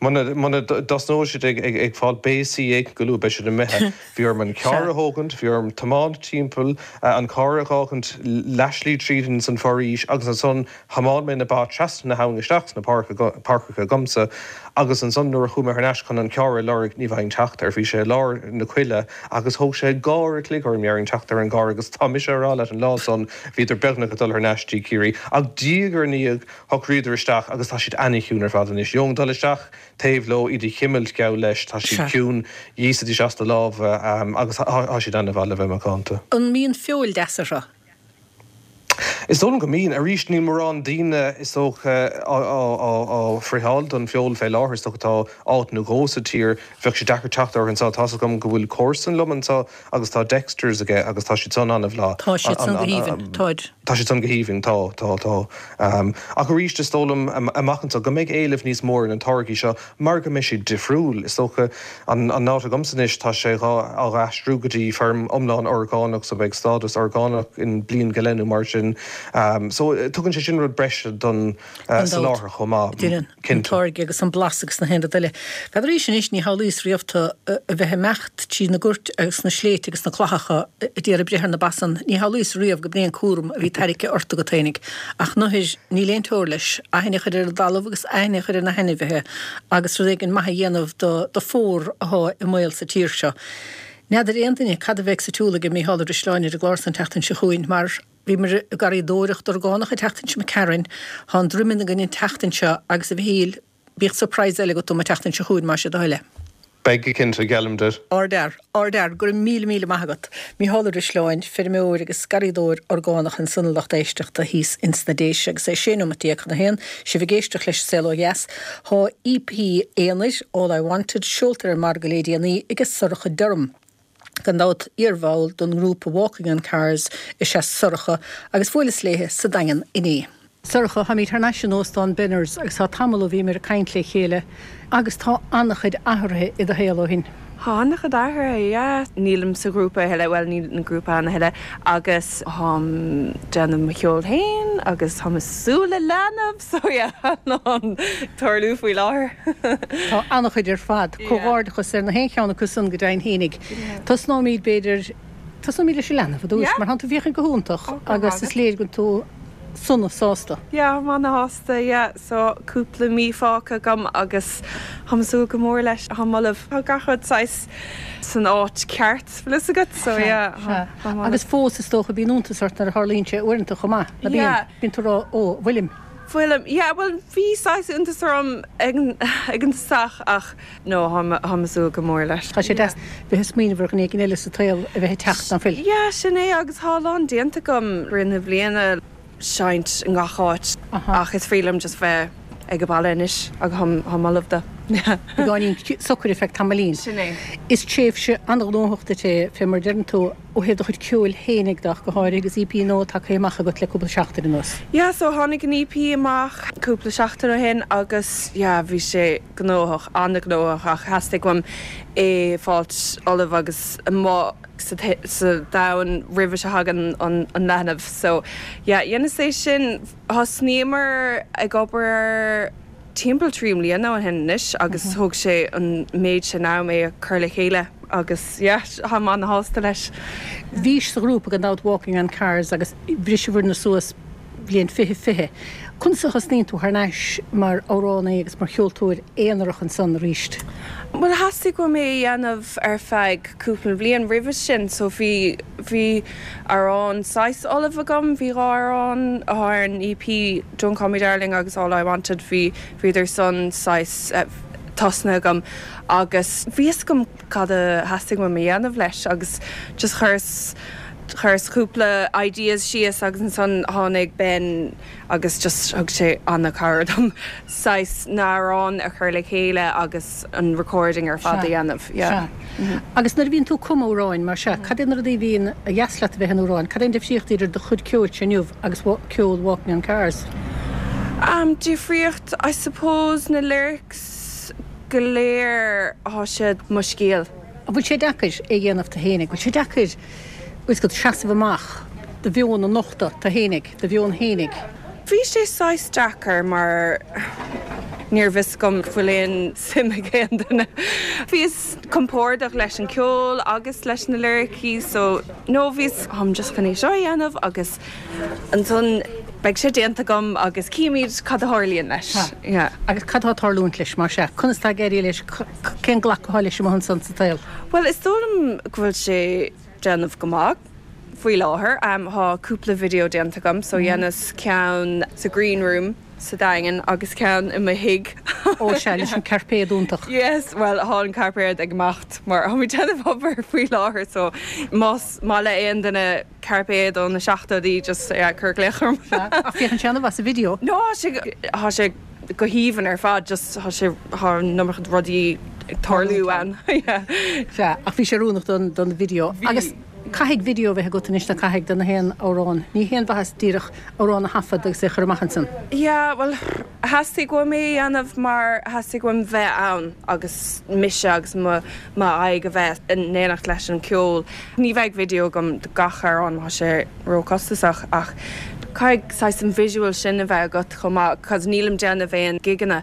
muna dtosnóidh siad ag fáil béasaí éigin go luath beidh siad imithe. Bhí orm an carr a thógaint, bhí orm tiomáint timpeall, an carr a dh'fhágaint leathshlí tríd ins an foraois agus ansan Thiomáin mé na ba trasna na habhann isteach sna páirceacha agamsa agus ansan nuair a chuaigh mé thar n-ais chun an carr a lorg ní bhfaighinn teacht air. Bhí sé i lár na coille agus thóg sé dhá uair a chloig orm dhéarfainn teacht ar an gcarr agus tá mise a rá leat an lá san bhíodar beagnach ag dul thar n-ais dtí Ciarraí. Ach diaidh ar ndiaidh shocraíodar isteach agus tá siad ana-chiúin ar fad anois. Gheobhainn dul isteach taobh leo, iad a chimilt geall leis, tá siad ciúin, dh'íosfaidís as do lámha agus tá siad ana-mhaith le bheith macánta. An mbíonn feoil deas orthu? Is dóigh liom go mbíonn. Arís, níl mórán daoine, is dócha, á friotháil don feoil fé láthair. Is dócha tá áit nó dhó sa tír. Bheadh sé deacair teacht orthu anseo. Tá's agam go bhfuil comharsan liom anseo agus tá Dexters aige agus tá siad san an-mhaith. Tá siad san go haoibhinn, táid. Tá siad san go haoibhinn, tá, tá, tá. Ach arís, is dóigh liom amach anseo go mbeidh éileamh níos mó ar na táirgí seo mar go mbeidh siad difriúil. Is dócha, an áit agamsa anois, tá sé dhá á aistriú go dtí feirm iomlán orgánach so beidh stádas orgánach in bliain go leith nó mar sin. So tugann sé sin rud breise don soláthar chomh maith. Déanann an táirge agus an blas agus na haon rud eile. N'fheadar anois, ní shamhlaíos riamh tú a bheith ag imeacht tríd na goirt agus na sléibhte agus na clathacha ag iarraidh breith ar na ba san, ní shamhlaíos riamh go b'in é an cúram a bhí tairgthe ort agat fhéinig. Ach nuair, níl aon teora leis, aithne a chur ar an dtalamh agus aithne a chur ar na hainmhithe agus rud éigin maith a dhéanamh do do phór athá i mbaol sa tír seo. N'fheadar aon duine cad a bheidh sa tsiúl aige Mícheál Ó Drisleáin ar an gclár san tseachtain seo chugainn mar bhíomar ag garraíodóireacht orgánach an tseachtain seo imigh tharainn, thá an droimeann againn an tseachtain seo agus a Mhichíl, Bíodh surprise eile agat dom an tseachtain seo chugainn, más é do thoil é. Beidh go cinnte, geallaim duit. Ardfhear, ardfhear, go raibh míle míle maith agat. Mícheál Ó Drisleáin, feirmeoir agus garraíodóir orgánach ansan a lucht éisteachta thíos ins na Déise agus é 16 nóimeat chun a haon, sibh ag éisteacht leis an Saol Ó Dheas. Thá EP aonair, All I Wanted, seolta ar an margadh lé déanaí aige Sorcha Durham. Gan dabht, iarbhall don ngrúpa Walking on Cars is ea Sorcha agus bhuaileas léithe sa Daingean inné. Sorcha, táimid thar n-ais in Óstán Benners agus tá tamall ó bhíomar ag caint le chéile agus tá an-chuid athraithe i do shaol ó shin. Tá an-chuid athraithe, yeah. Nílim sa ghrúpa a thuilleadh, bhuel níl an grúpa ann a thuilleadh agus táim déanamh mo cheol féin agus táim ag súil le leanbh so yeah, a lán ag tarlú faoi láthair. Tá an-chuid ar fad. Comhghairdeachas ar na haon cheann acu san go deimhin fhéinig. Tosnóimid b'fhéidir, tosnóimid leis an leanbh ar dtús mar thánn tú ag féachaint go hiontach agus is léir go bhfuil tú sona sásta. Yeah, táim ana-shásta, yeah. So cúpla mí fágtha agam agus táim ag súil go mór leis. Táim ullamh. Tá gach rud saghas san áit ceart, bhfuil fhios agat, so yeah, táim ullamh. Agus fós is dócha bíonn iontas ort nuair a tharlaíonn sé uaireanta chomh maith, ná bíonn? Yeah. Bíonn tú ag rá, ó, bhfuilim. Bhfuilim, yeah, bhuel bhí saghas iontas orm ag an tosach ach no, táim ag súil go mór leis. Tá sé deas bheith ag smaoineamh ar dhuine éigin eile sa tsaol a bheith ag teacht, ná fuil? Yeah, sin é agus tá a lán déanta agam i rith na bliana, seinnt i ngach áit ach is free liom just bheith ag an baile anois agus táim ullamh dó. Beagáinín socair ar feadh tamaillín. Sin é. Is tréimhse an-ghnóthach duit é, fé mar a deireann tú. Ó thaobh do chuid ceoil fhéinig de ach go háirithe agus EP nua tagtha amach agat le cúpla seachtain anuas. Yeah so tháinig an EP amach cúpla seachtain ó shin agus yeah bhí sé gnóthach, an-ghnóthach ach theastaigh uaim é fáilt ullamh agus amuigh sa sa domhan roimhe seo thagann an an leanbh so yeah dheineas é sin. Thosnaíomar ag obair air timpeall 3 mbliana ó shin anois agus thóg sé an méid sin am é a chur le chéile agus yeah táim ana-shásta leis. Bhís sa ghrúpa gan dabht Walking on Cars agus bhriseabhair-na suas bliain 2020. Conas a thosnaíonn tú thar n-ais mar amhránaí agus mar cheoltóir aonarach ansan arís? Bhuel theastaigh uaim é a dhéanamh ar feadh cúpla bliain roimhe sin so bhí bhí amhrán saghas ullamh agam, bhí dhá amhrán atá ar an EP, Don't Call Me Darling agus All I Wanted, bhí bhíodar san saghas tosnaithe agam agus bhí fhios agam cad a theastaigh uaim a dhéanamh leis agus just chuireas chuireas cúpla ideas síos agus ansan tháinig Ben agus just thug sé an-cabhair dom saghas na hamhráin a chur le chéile agus an recording ar fad a dhéanamh. Yeah. Sea. Agus nuair a bhíonn tú ag cumadh amhráin mar sea, cad é na rudaí a bhíonn a dheas leat a bheith in amhráin? Cad é an difríocht idir do chuid ceoilse inniu agus ceol Walking on Cars? Um, difríocht, I suppose na lyrics go léir, tá siad mo scéal. An bhfuil sé deacair é a dhéanamh tú fhéinig? Bhfuil sé deacair? Bhfuil 's agat, seasamh amach, do mheon a nochtadh, tú fhéinig, do mheon fhéinig. Bhí sé saghas deacair mar níor bhfios agam go bhfuil aon suim ag aon duine. Bhíos compordach leis an ceol agus leis na liricí so no bhíos táim just chun é seo a dhéanamh agus ansan beidh sé déanta agam agus címid cad a tharlaíonn leis. Yeah. Agus cad tá ag tarlúint leis mar sea? Conas tá ag éirí leis? Cén glacadh atá leis amuigh ansan sa tsaol? Bhuel is dóigh liom go bhfuil sé déanamh go maith faoi láthair. Tá cúpla video déanta agam so dheineas ceann sa green room sa Daingean agus ceann i mo thigh. Ó sea, leis an cairpéad iontach. Yes, bhuel tá an cairpéad ag imeacht mar tá muid déanamh obair faoi láthair so más maith le aon duine cairpéad ó na seachtóidí just yeah cuir glaoch orm. Sea, ach féachann sé an-mhaith sa video. No tá sé, tá sé go haoibhinn ar fad just tá sé, tá an iomarca rudaí ag tarlú ann yeah. Sea, ach bhí sé oiriúnach don, don video. Bhí. Agus caithfidh video a bheith agat anois nó caithfidh do na haon amhrán. Ní haon mhaitheas díreach amhrán a thaifead agus é a chur amach ansan. Yeah, bhuel theastaigh uaim é a dhéanamh mar theastaigh uaim bheith ann agus mise agus mo, m'aghaidh a bheith in éineacht leis an ceol. Ní bheidh video agam do gach amhrán, tá sé ró-chostasach, ach caithfidh saghas an visual sin a bheith agat chomh maith, cos nílim déanamh aon gigeanna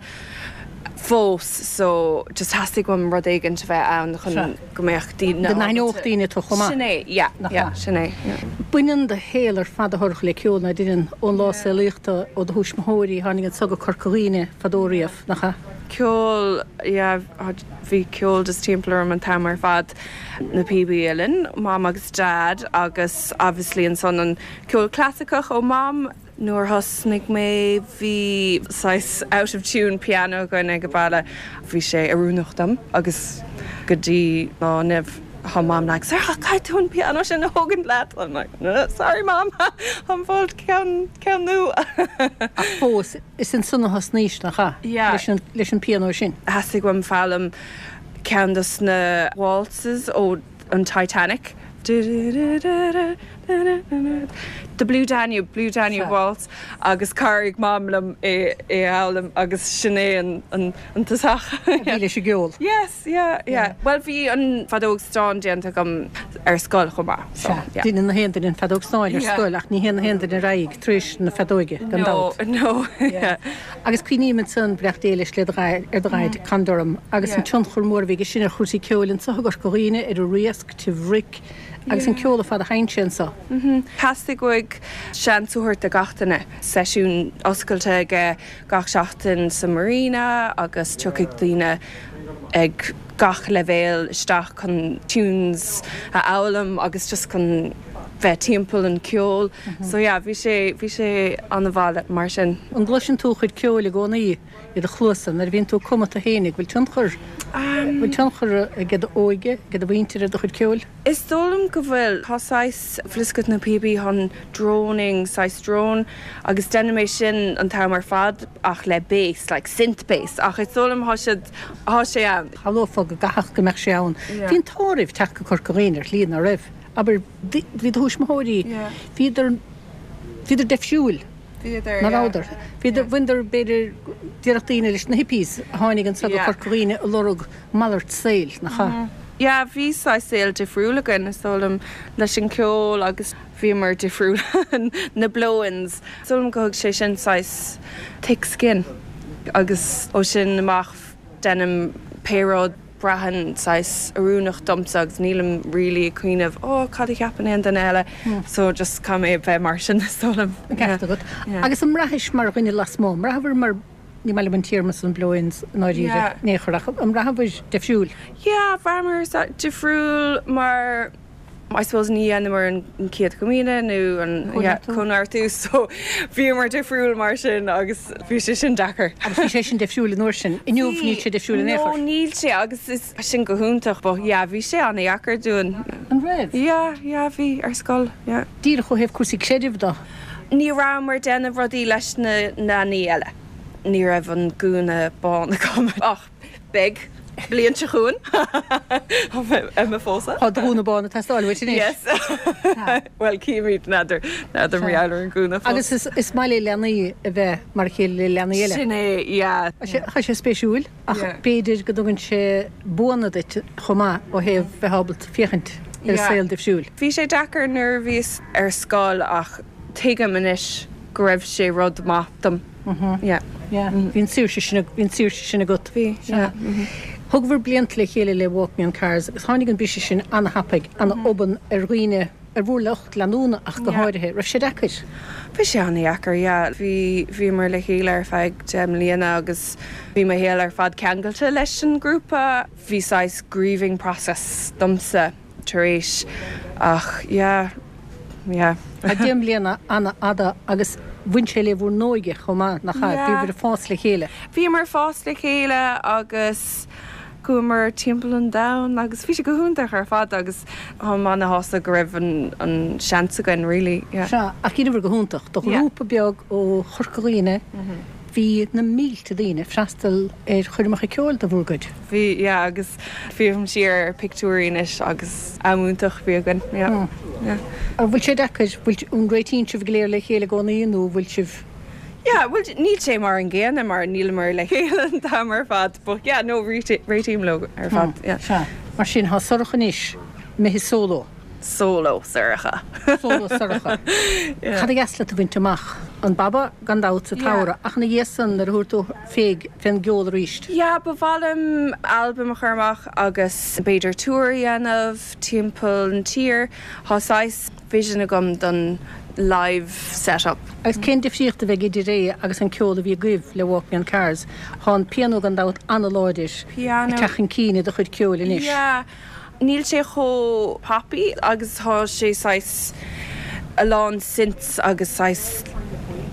fós so just theastaigh uaim rud éigint a bheith ann chun go mbeadh daoine Go n-aithneodh daoine tú chomh maith. Sin é, yeah, yeah, sin é, yeah. Baineann do shaol ar fad a Shorcha le ceol, ná deineann, ón lá saolaíodh tú, ó do thuismitheoirí, tháinig anso go Corca Dhuibhne fadó riamh, nach ea? Ceol, yeah, bhí ceol just timpeall orm an t-am ar fad. Na píobaí uilleann, Mam agus Dad agus obviously ansan an ceol clasaiceach ó Mam. Nuair a thosnaigh mé bhí saghas out of tune piano againn ag an baile. Bhí sé oiriúnach dom agus go dtí lá inniu tá Mam like Sorcha caithfidh tú an piano sin a thógaint leat. I'm like sorry Mam, táim ag fáil ceann, ceann nua. Ach fós, is ansan a thosnaís, nach ea? Yeah. Leis an, leis an pianó sin. Theastaigh uaim foghlaim ceann dos na waltzes ó an Titanic. The Blue Danube, Blue Danube Waltz agus chabhraigh Mam liom é a fhoghlaim agus sin é an an tosach. A bhí leis an gceol. Yes, yeah, yeah. Bhuel bhí an feadóg stáin déanta agam ar scoil chomh maith so yeah. Deineann na haon duine an feadóg stáin ar scoil ach ní théann na haon duine ar aghaidh tar éis na feadóige, gan dabht. No, no, yeah. Agus cuimhním ansan, beannacht Dé leis le do ar do dhaid, Con Durham, agus an tionchar mór a bhí aige sin ar chúrsaí ceoil anso i gCorca Dhuibhne, ar an Riasc, Taobh Roic, agus an ceol ar fad a sheinn sé anso. Theastaigh uaidh seans a thabhairt do gach duine. Seisiún oscailte aige gach seachtain sa Marina agus tiocfaidh daoine ag gach leibhéal isteach chun tunes a fhoghlaim agus just chun bheith timpeall an ceol. So yeah, bhí sé, bhí sé an-mhaith mar sin. An gcloiseann tú a chuid ceoil i gcónaí i do chluasa nuair a bhíonn tú ag cumadh tú fhéinig? Bhfuil tionchar, bhfuil tionchar ag d'óige, ag do mhuintir ar do chuid ceoil? Is dóigh liom go bhfuil. Tá saghas, bhfuil fhios agat na píobaí, tá an droning, saghas drone, agus deinim é sin an t-am ar fad ach le bass, like synth bass, ach is dóigh liom tá siad, tá sé ann. Shamhlófá go gcaithfeadh go mbeadh sé ann. Bhí an t-ádh oraibh teacht go Corca Dhuibhne ar shlí, ná raibh? Abair, bhí do thuismitheoirí, bhíodar, bhíodar deifriúil, ná rabhadar? Bhíodar, bhaineadar, b'fhéidir, déarfadh daoine leis na hippies a tháinig anso go Corca Dhuibhne ag lorg malairt saoil, nach ea? Yeah, bhí saghas saol difriúil againn, is dóigh liom, leis an ceol agus bhíomar difriúil, na blow-ins. Is dóigh liom go thug sé sin saghas thick skin agus ó sin amach deinim pé rud, braitheann saghas oiriúnach domsa agus nílim really ag cuimhneamh oh cad a cheapann aon duine eile so just caithfidh mé bheith mar sin is dóigh liom. An ceart agat. Agus an mbraithis mar dhuine lasmuigh, an mbraitheabhair mar, ní maith liom an téarma san blow-ins i ndáiríre in aon chor ach an mbraitheabhair difriúil? Yeah, bhraitheamar difriúil mar I suppose ní dhéanamar an Chéad Chomaoine nó an Cóineartú so bhíomar difriúil mar sin agus bhí sé sin deacair. Agus bhí sé sin difriúil an uair sin. Inniu níl sé difriúil in aon chor. No níl sé agus is sin go hiontach but yeah bhí sé an-dheacair dúinn. An raibh? Yeah, yeah bhí ar scoil, yeah. Díreach ó thaobh cúrsaí creidimh de. Ní rabhamar ag déanamh rudaí leis na leanaí eile. Ní raibh an gúna bán agam ach. Beidh. Bliain seo chugainn. Ar mo phósadh. Tá do ghúna bán ag teastáil uait anois. Yes. Bhuel, cífimid, n'fheadar, n'fheadar mar gheall ar an gúna fós. Agus is maith le leanaí a bheith mar a chéile le leanaí eile. Sin é, yeah. Tá sé spéisiúil, ach b'fhéidir go dtugann sé buanna duit chomh maith ó thaobh bheith ábalta féachaint. ar an saol difriúil. Bhí sé deacair nuair a bhíos ar scoil ach tuigim anois go raibh sé rud maith dom. Yeah. Yeah. Bhí an saoirse sin, bhí an saoirse sin agat. Bhí, yeah. Thógabhair blianta le chéile le Walking on Cars agus tháinig an briseadh sin ana-thapaidh, ana-obann ar dhaoine, ar bhur lucht leanúna ach go háirithe. Raibh sé deacair? Bhí sé ana-dheacair, yeah. Bhí, bhíomar le chéile ar feadh 10 mbliana agus bhí mo shaol ar fad ceangailte leis an grúpa. Bhí saghas grieving process domsa tar éis ach yeah, yeah. Tá 10 mbliana an-fhada agus bhain sé le bhur n-óige chomh maith, nach ea? Bhíobhair ag fás le chéile. Bhíomar ag fás le chéile agus chuamar timpeall an domhain agus bhí sé go hiontach ar fad agus táim ana-shásta go raibh an seans againn really, yeah. Sea, ach dheineabhair go hiontach. Do ghrúpa beag ó Chorca Dhuibhne, bhí na mílte daoine ag freastal ar choirmeacha ceoil de bhur gcuid. Bhí, yeah, agus féachaim siar ar pictiúirí anois agus am iontach a bhí againn, yeah, yeah. An bhfuil sé deacair, bhfuil, an réitíonn sibh go léir le chéile i gcónaí nó an bhfuil sibh. Yeah, bhuel, níl sé mar an gcéanna mar níleamar le chéile an t-am ar fad but yeah, no, réitím leo ar fad, yeah. Sea, mar sin, tá Sorcha anois imithe solo. Solo Sorcha. Solo Sorcha. Cad a dheas leat a bhaint amach? An Baba, gan dabht, sa tsamhradh, ach ina dhiaidh san, nuair a thabharfaidh tú féig fén gceol arís? Yeah, ba mhaith liom albam a chur amach agus b'fhéidir tour a dhéanamh timpeall an tír. Tá saghas vision agam don live set up. Agus cén difríocht a bheidh idir é agus an ceol a bhí agaibh le Walking on Cars? Tá an pianó gan dabht an-láidir ag teacht chun cinn i do chuid ceoil anois. Yeah. Níl sé chomh poppy agus tá sé saghas a lán synths agus saghas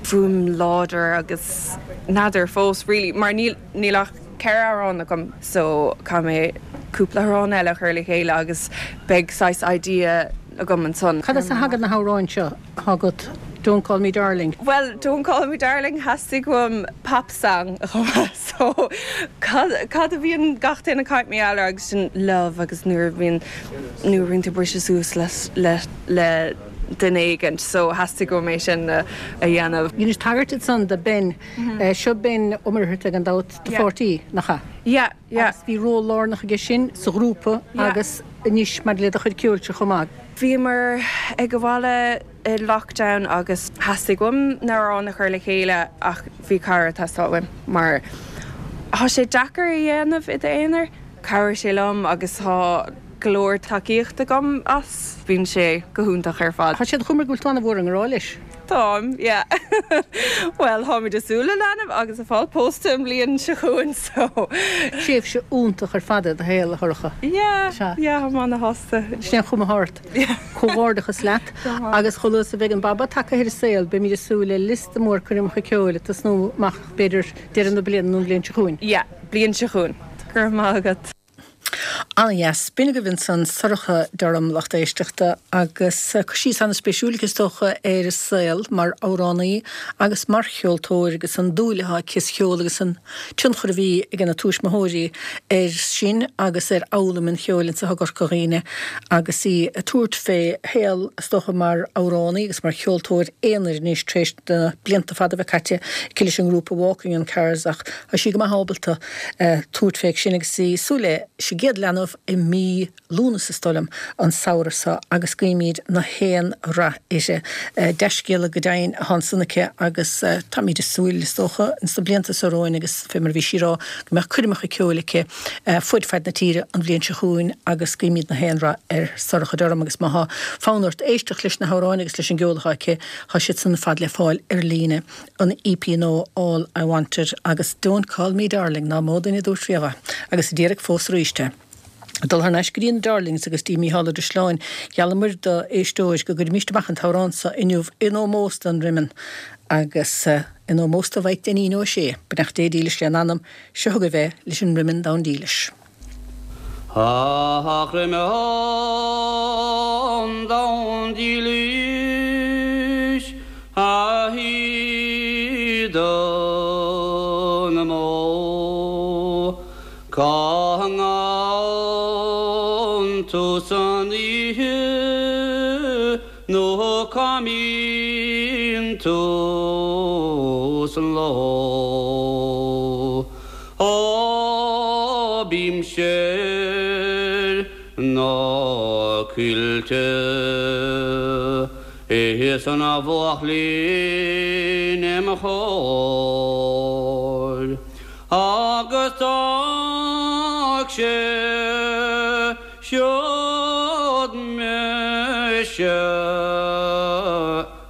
fuaim láidir agus n'fheadar fós really mar níl níl ach 4 amhrán agam so caithfidh mé cúpla amhrán eile a chur le chéile agus beidh saghas idea agam ansan. Cad as a thagann na hamhráin seo atá agat Don't Call Me Darling? Bhuel Don't Call Me Darling theastaigh uaim pop song a chumadh so cad cad a bhíonn gach duine ag caint mar gheall air agus sin love agus nuair a bhíonn nuair a bhíonn tú briseadh suas le le le duine éigint so theastaigh uaim é sin a a dhéanamh. Dheinis tagairt ansan do Ben. Seo Ben Ó Muircheartaigh gan dabht, do pháirtí, nach ea? Yeah, yeah. Agus bhí ról lárnach aige sin sa ghrúpa agus anois maidir le do chuid ceoilse chomh maith. Bhíomar ag an bhaile i lockdown agus theastaigh uaim na hamhráin a chur le chéile ach bhí cara ag teastáil uaim mar tá sé deacair a dhéanamh i d'aonar. Chabhraigh sé liom agus tá go leor tacaíocht agam as. Bíonn sé go hiontach ar fad. Tá sé de chuma air go bhfuil tú an-mhór i ngrá leis. Táim, yeah. Bhuel, táimid ag súil le leanbh agus ag fáil pósta an bhliain seo chugainn, so. Tréimhse iontach ar fad i do shaol, a Shorcha. Yeah, yeah, táim ana-shásta. Sin é an chuma atá ort. Comhghairdeachas leat agus chomh luath is a bheidh an Baba tagtha ar an saol, beimid ag súil le liosta mór coirmeacha ceoil ag tosnú amach, b'fhéidir, deireadh na bliana nó an bhliain seo chugainn. Yeah, bliain seo chugainn. Go raibh maith agat. Ana-dheas. B'in agaibh ansan Sorcha Durham, lucht éisteachta, agus cur síos ana-spéisiúil aici is dócha ar a saol mar amhránaí agus mar cheoltóir agus an dúil atá aici sa cheol agus an tionchar a bhí ag na tuismitheoirí air sin agus ar fhoghlaim an cheoil anso i gCorca Dhuibhne agus í ag tabhairt fé shaol is dócha mar amhránaí agus mar cheoltóir aonair anois tar éis na blianta fada a bheith caite aici leis an ngrúpa Walking on Cars ach tá sí go maith ábalta tabhairt fé sin agus í ag súil leis an gcéad leanbh i mí Lúnasa is dóigh liom, an samhradh seo agus guímid na haon rath uirthi. Dea-scéala go deimhin atá ansan aici agus táimid ag súil, is dócha, ins na blianta seo romhainn agus fé mar a bhí sí ag rá, go mbeadh coirmeacha ceoil aici fuaid faid na tíre an bhliain seo chugainn agus guímid na haon rath ar Sorcha Durham agus má thá fonn ort éisteacht leis na hamhráin agus leis an gceol atá aici, tá siad san ar fad le fáil ar líne. an EP nua All I Wanted agus Don't Call Me Darling, ná mó duine a dúirt riamh é, agus a déarfaidh fós arís é. Ag dul thar n-ais go dtí na Darlings agus dtí Mícheál Ó Drisleáin, gheallamair do éisteoir go gcuirfimíst amach an t-amhrán so inniu in ómós don Droimeann agus in ómós do Mhaidhc Dainín Ó Sé, beannacht Dé dílis lena anam, seo chugaibh é leis an Droimeann Donn Dílis. A dhroimeann donn dílis, a shíoda na mbó, cá ngabhann tú san oíche nó cá mbíonn tú san ló? Ó bímse ar na. Coillte is an bhuachaillín im chomhair agus d'fhág sé siúd mise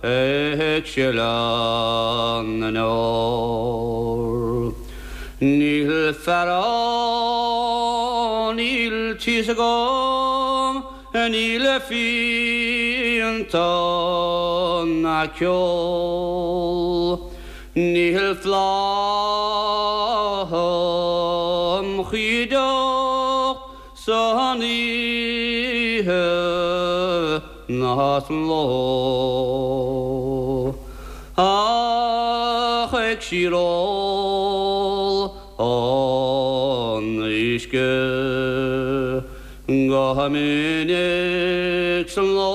ag sileadh na ndeor. Níl fearann, níl tíos agam, níl fíonta ná ceol, níl flaith im chuideacht san oíche ná san ló, ach ag síor-ól an uisce go minic san ló,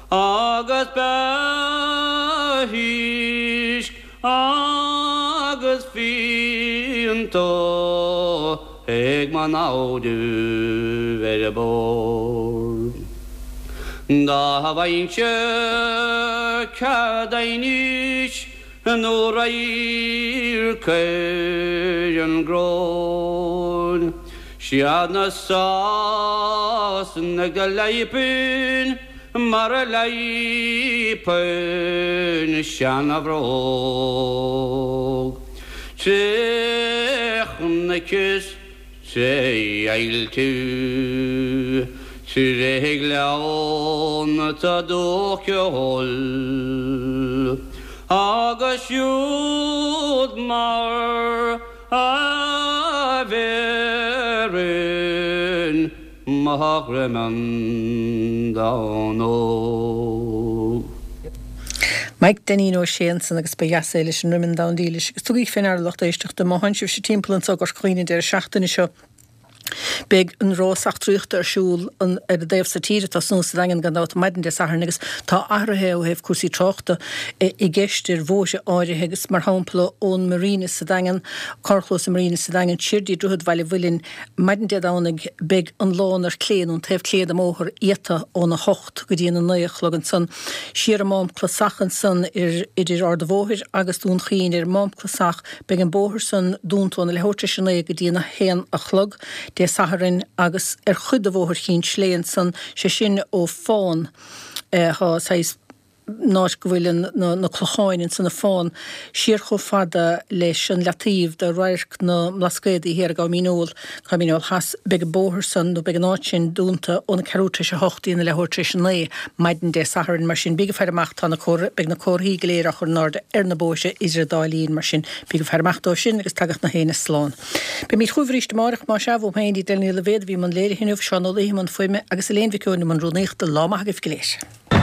agus beidh uisce agus fíonta ag mo namhaidibh ar bord. Dá bhfaighinnse cead aighnis nó radharc ar an gcoróin, 'Siad na Sasanaigh do leigpinn mar a leigpinn seana-bhróg. Tré chnoic is tré ailltibh, tré ghleannta dúcheoil, agus siúd mar a bhéarfainn mo ghreim donn óg. Mike Dainín Ó Sé ansan agus ba dheas é leis an Roimeann Donn Dílis agus tugaigí fé ndeara lucht éisteachta má thánn sibhse timpeall anso i gCorca Dhuibhne an deireadh seachtaine seo beidh an rás eachtraíochta ar siúl ar an dtaobh so tíre ag tosnú sa Daingean gan dabht maidin Dé Sathairn agus tá athruithe ó thaobh cúrsaí tráchta i gceist ar bhóithre áirithe agus mar shampla ón Marina sa Daingean, carrchlós an Marina sa Daingean siar dtí Droichead Bhaile Mhuilinn Maidin Dé Domhnaigh beidh an lán ar clé nó an taobh clé den mbóthar iata óna hocht go dtí an 9 a chlog ansan. Siar an Mám Clasach ansan idir Ard a' Bhóthair agus Dún Chaoin ar an Mám Clasach beidh an bóthar san dúnta óna leathuair tar éis a naoi go dtí an haon a chlog Dé Sathairn agus ar chuid de Bhóthar Chinn tSléibhe ansan, sé sin ó Fán, tá saghas. an áit go bhfuil na clocháin ansan ag Fán, siar chomh fada leis an leataobh de Radharc na mBlascaodaí thiar i gCabhán Míneol, Cabhán Míneol Theas, beidh an bóthar san, nó beidh an áit sin dúnta óna ceathrú tar éis a hocht dtí na leathuair tar éis a naoi maidin Dé Sathairn. Mar sin, bíg ag faire amach, tá na comhartha, beidh na comharthaí go léir á chur in airde ar na bóithre idir an dá linn, mar sin, bíg ag faire amach dóibh sin agus tagadh na héinne slán. Beimid chugaibh arís amárach, más ea, uaim féin, Edel Ní Loibhéad a bhí i mbun léirithe inniu, Seán Ó Laoithe i mbun fuaime agus Elaine Mhic Eoin i mbun rúnaíochta. Lá maith agaibh go léir.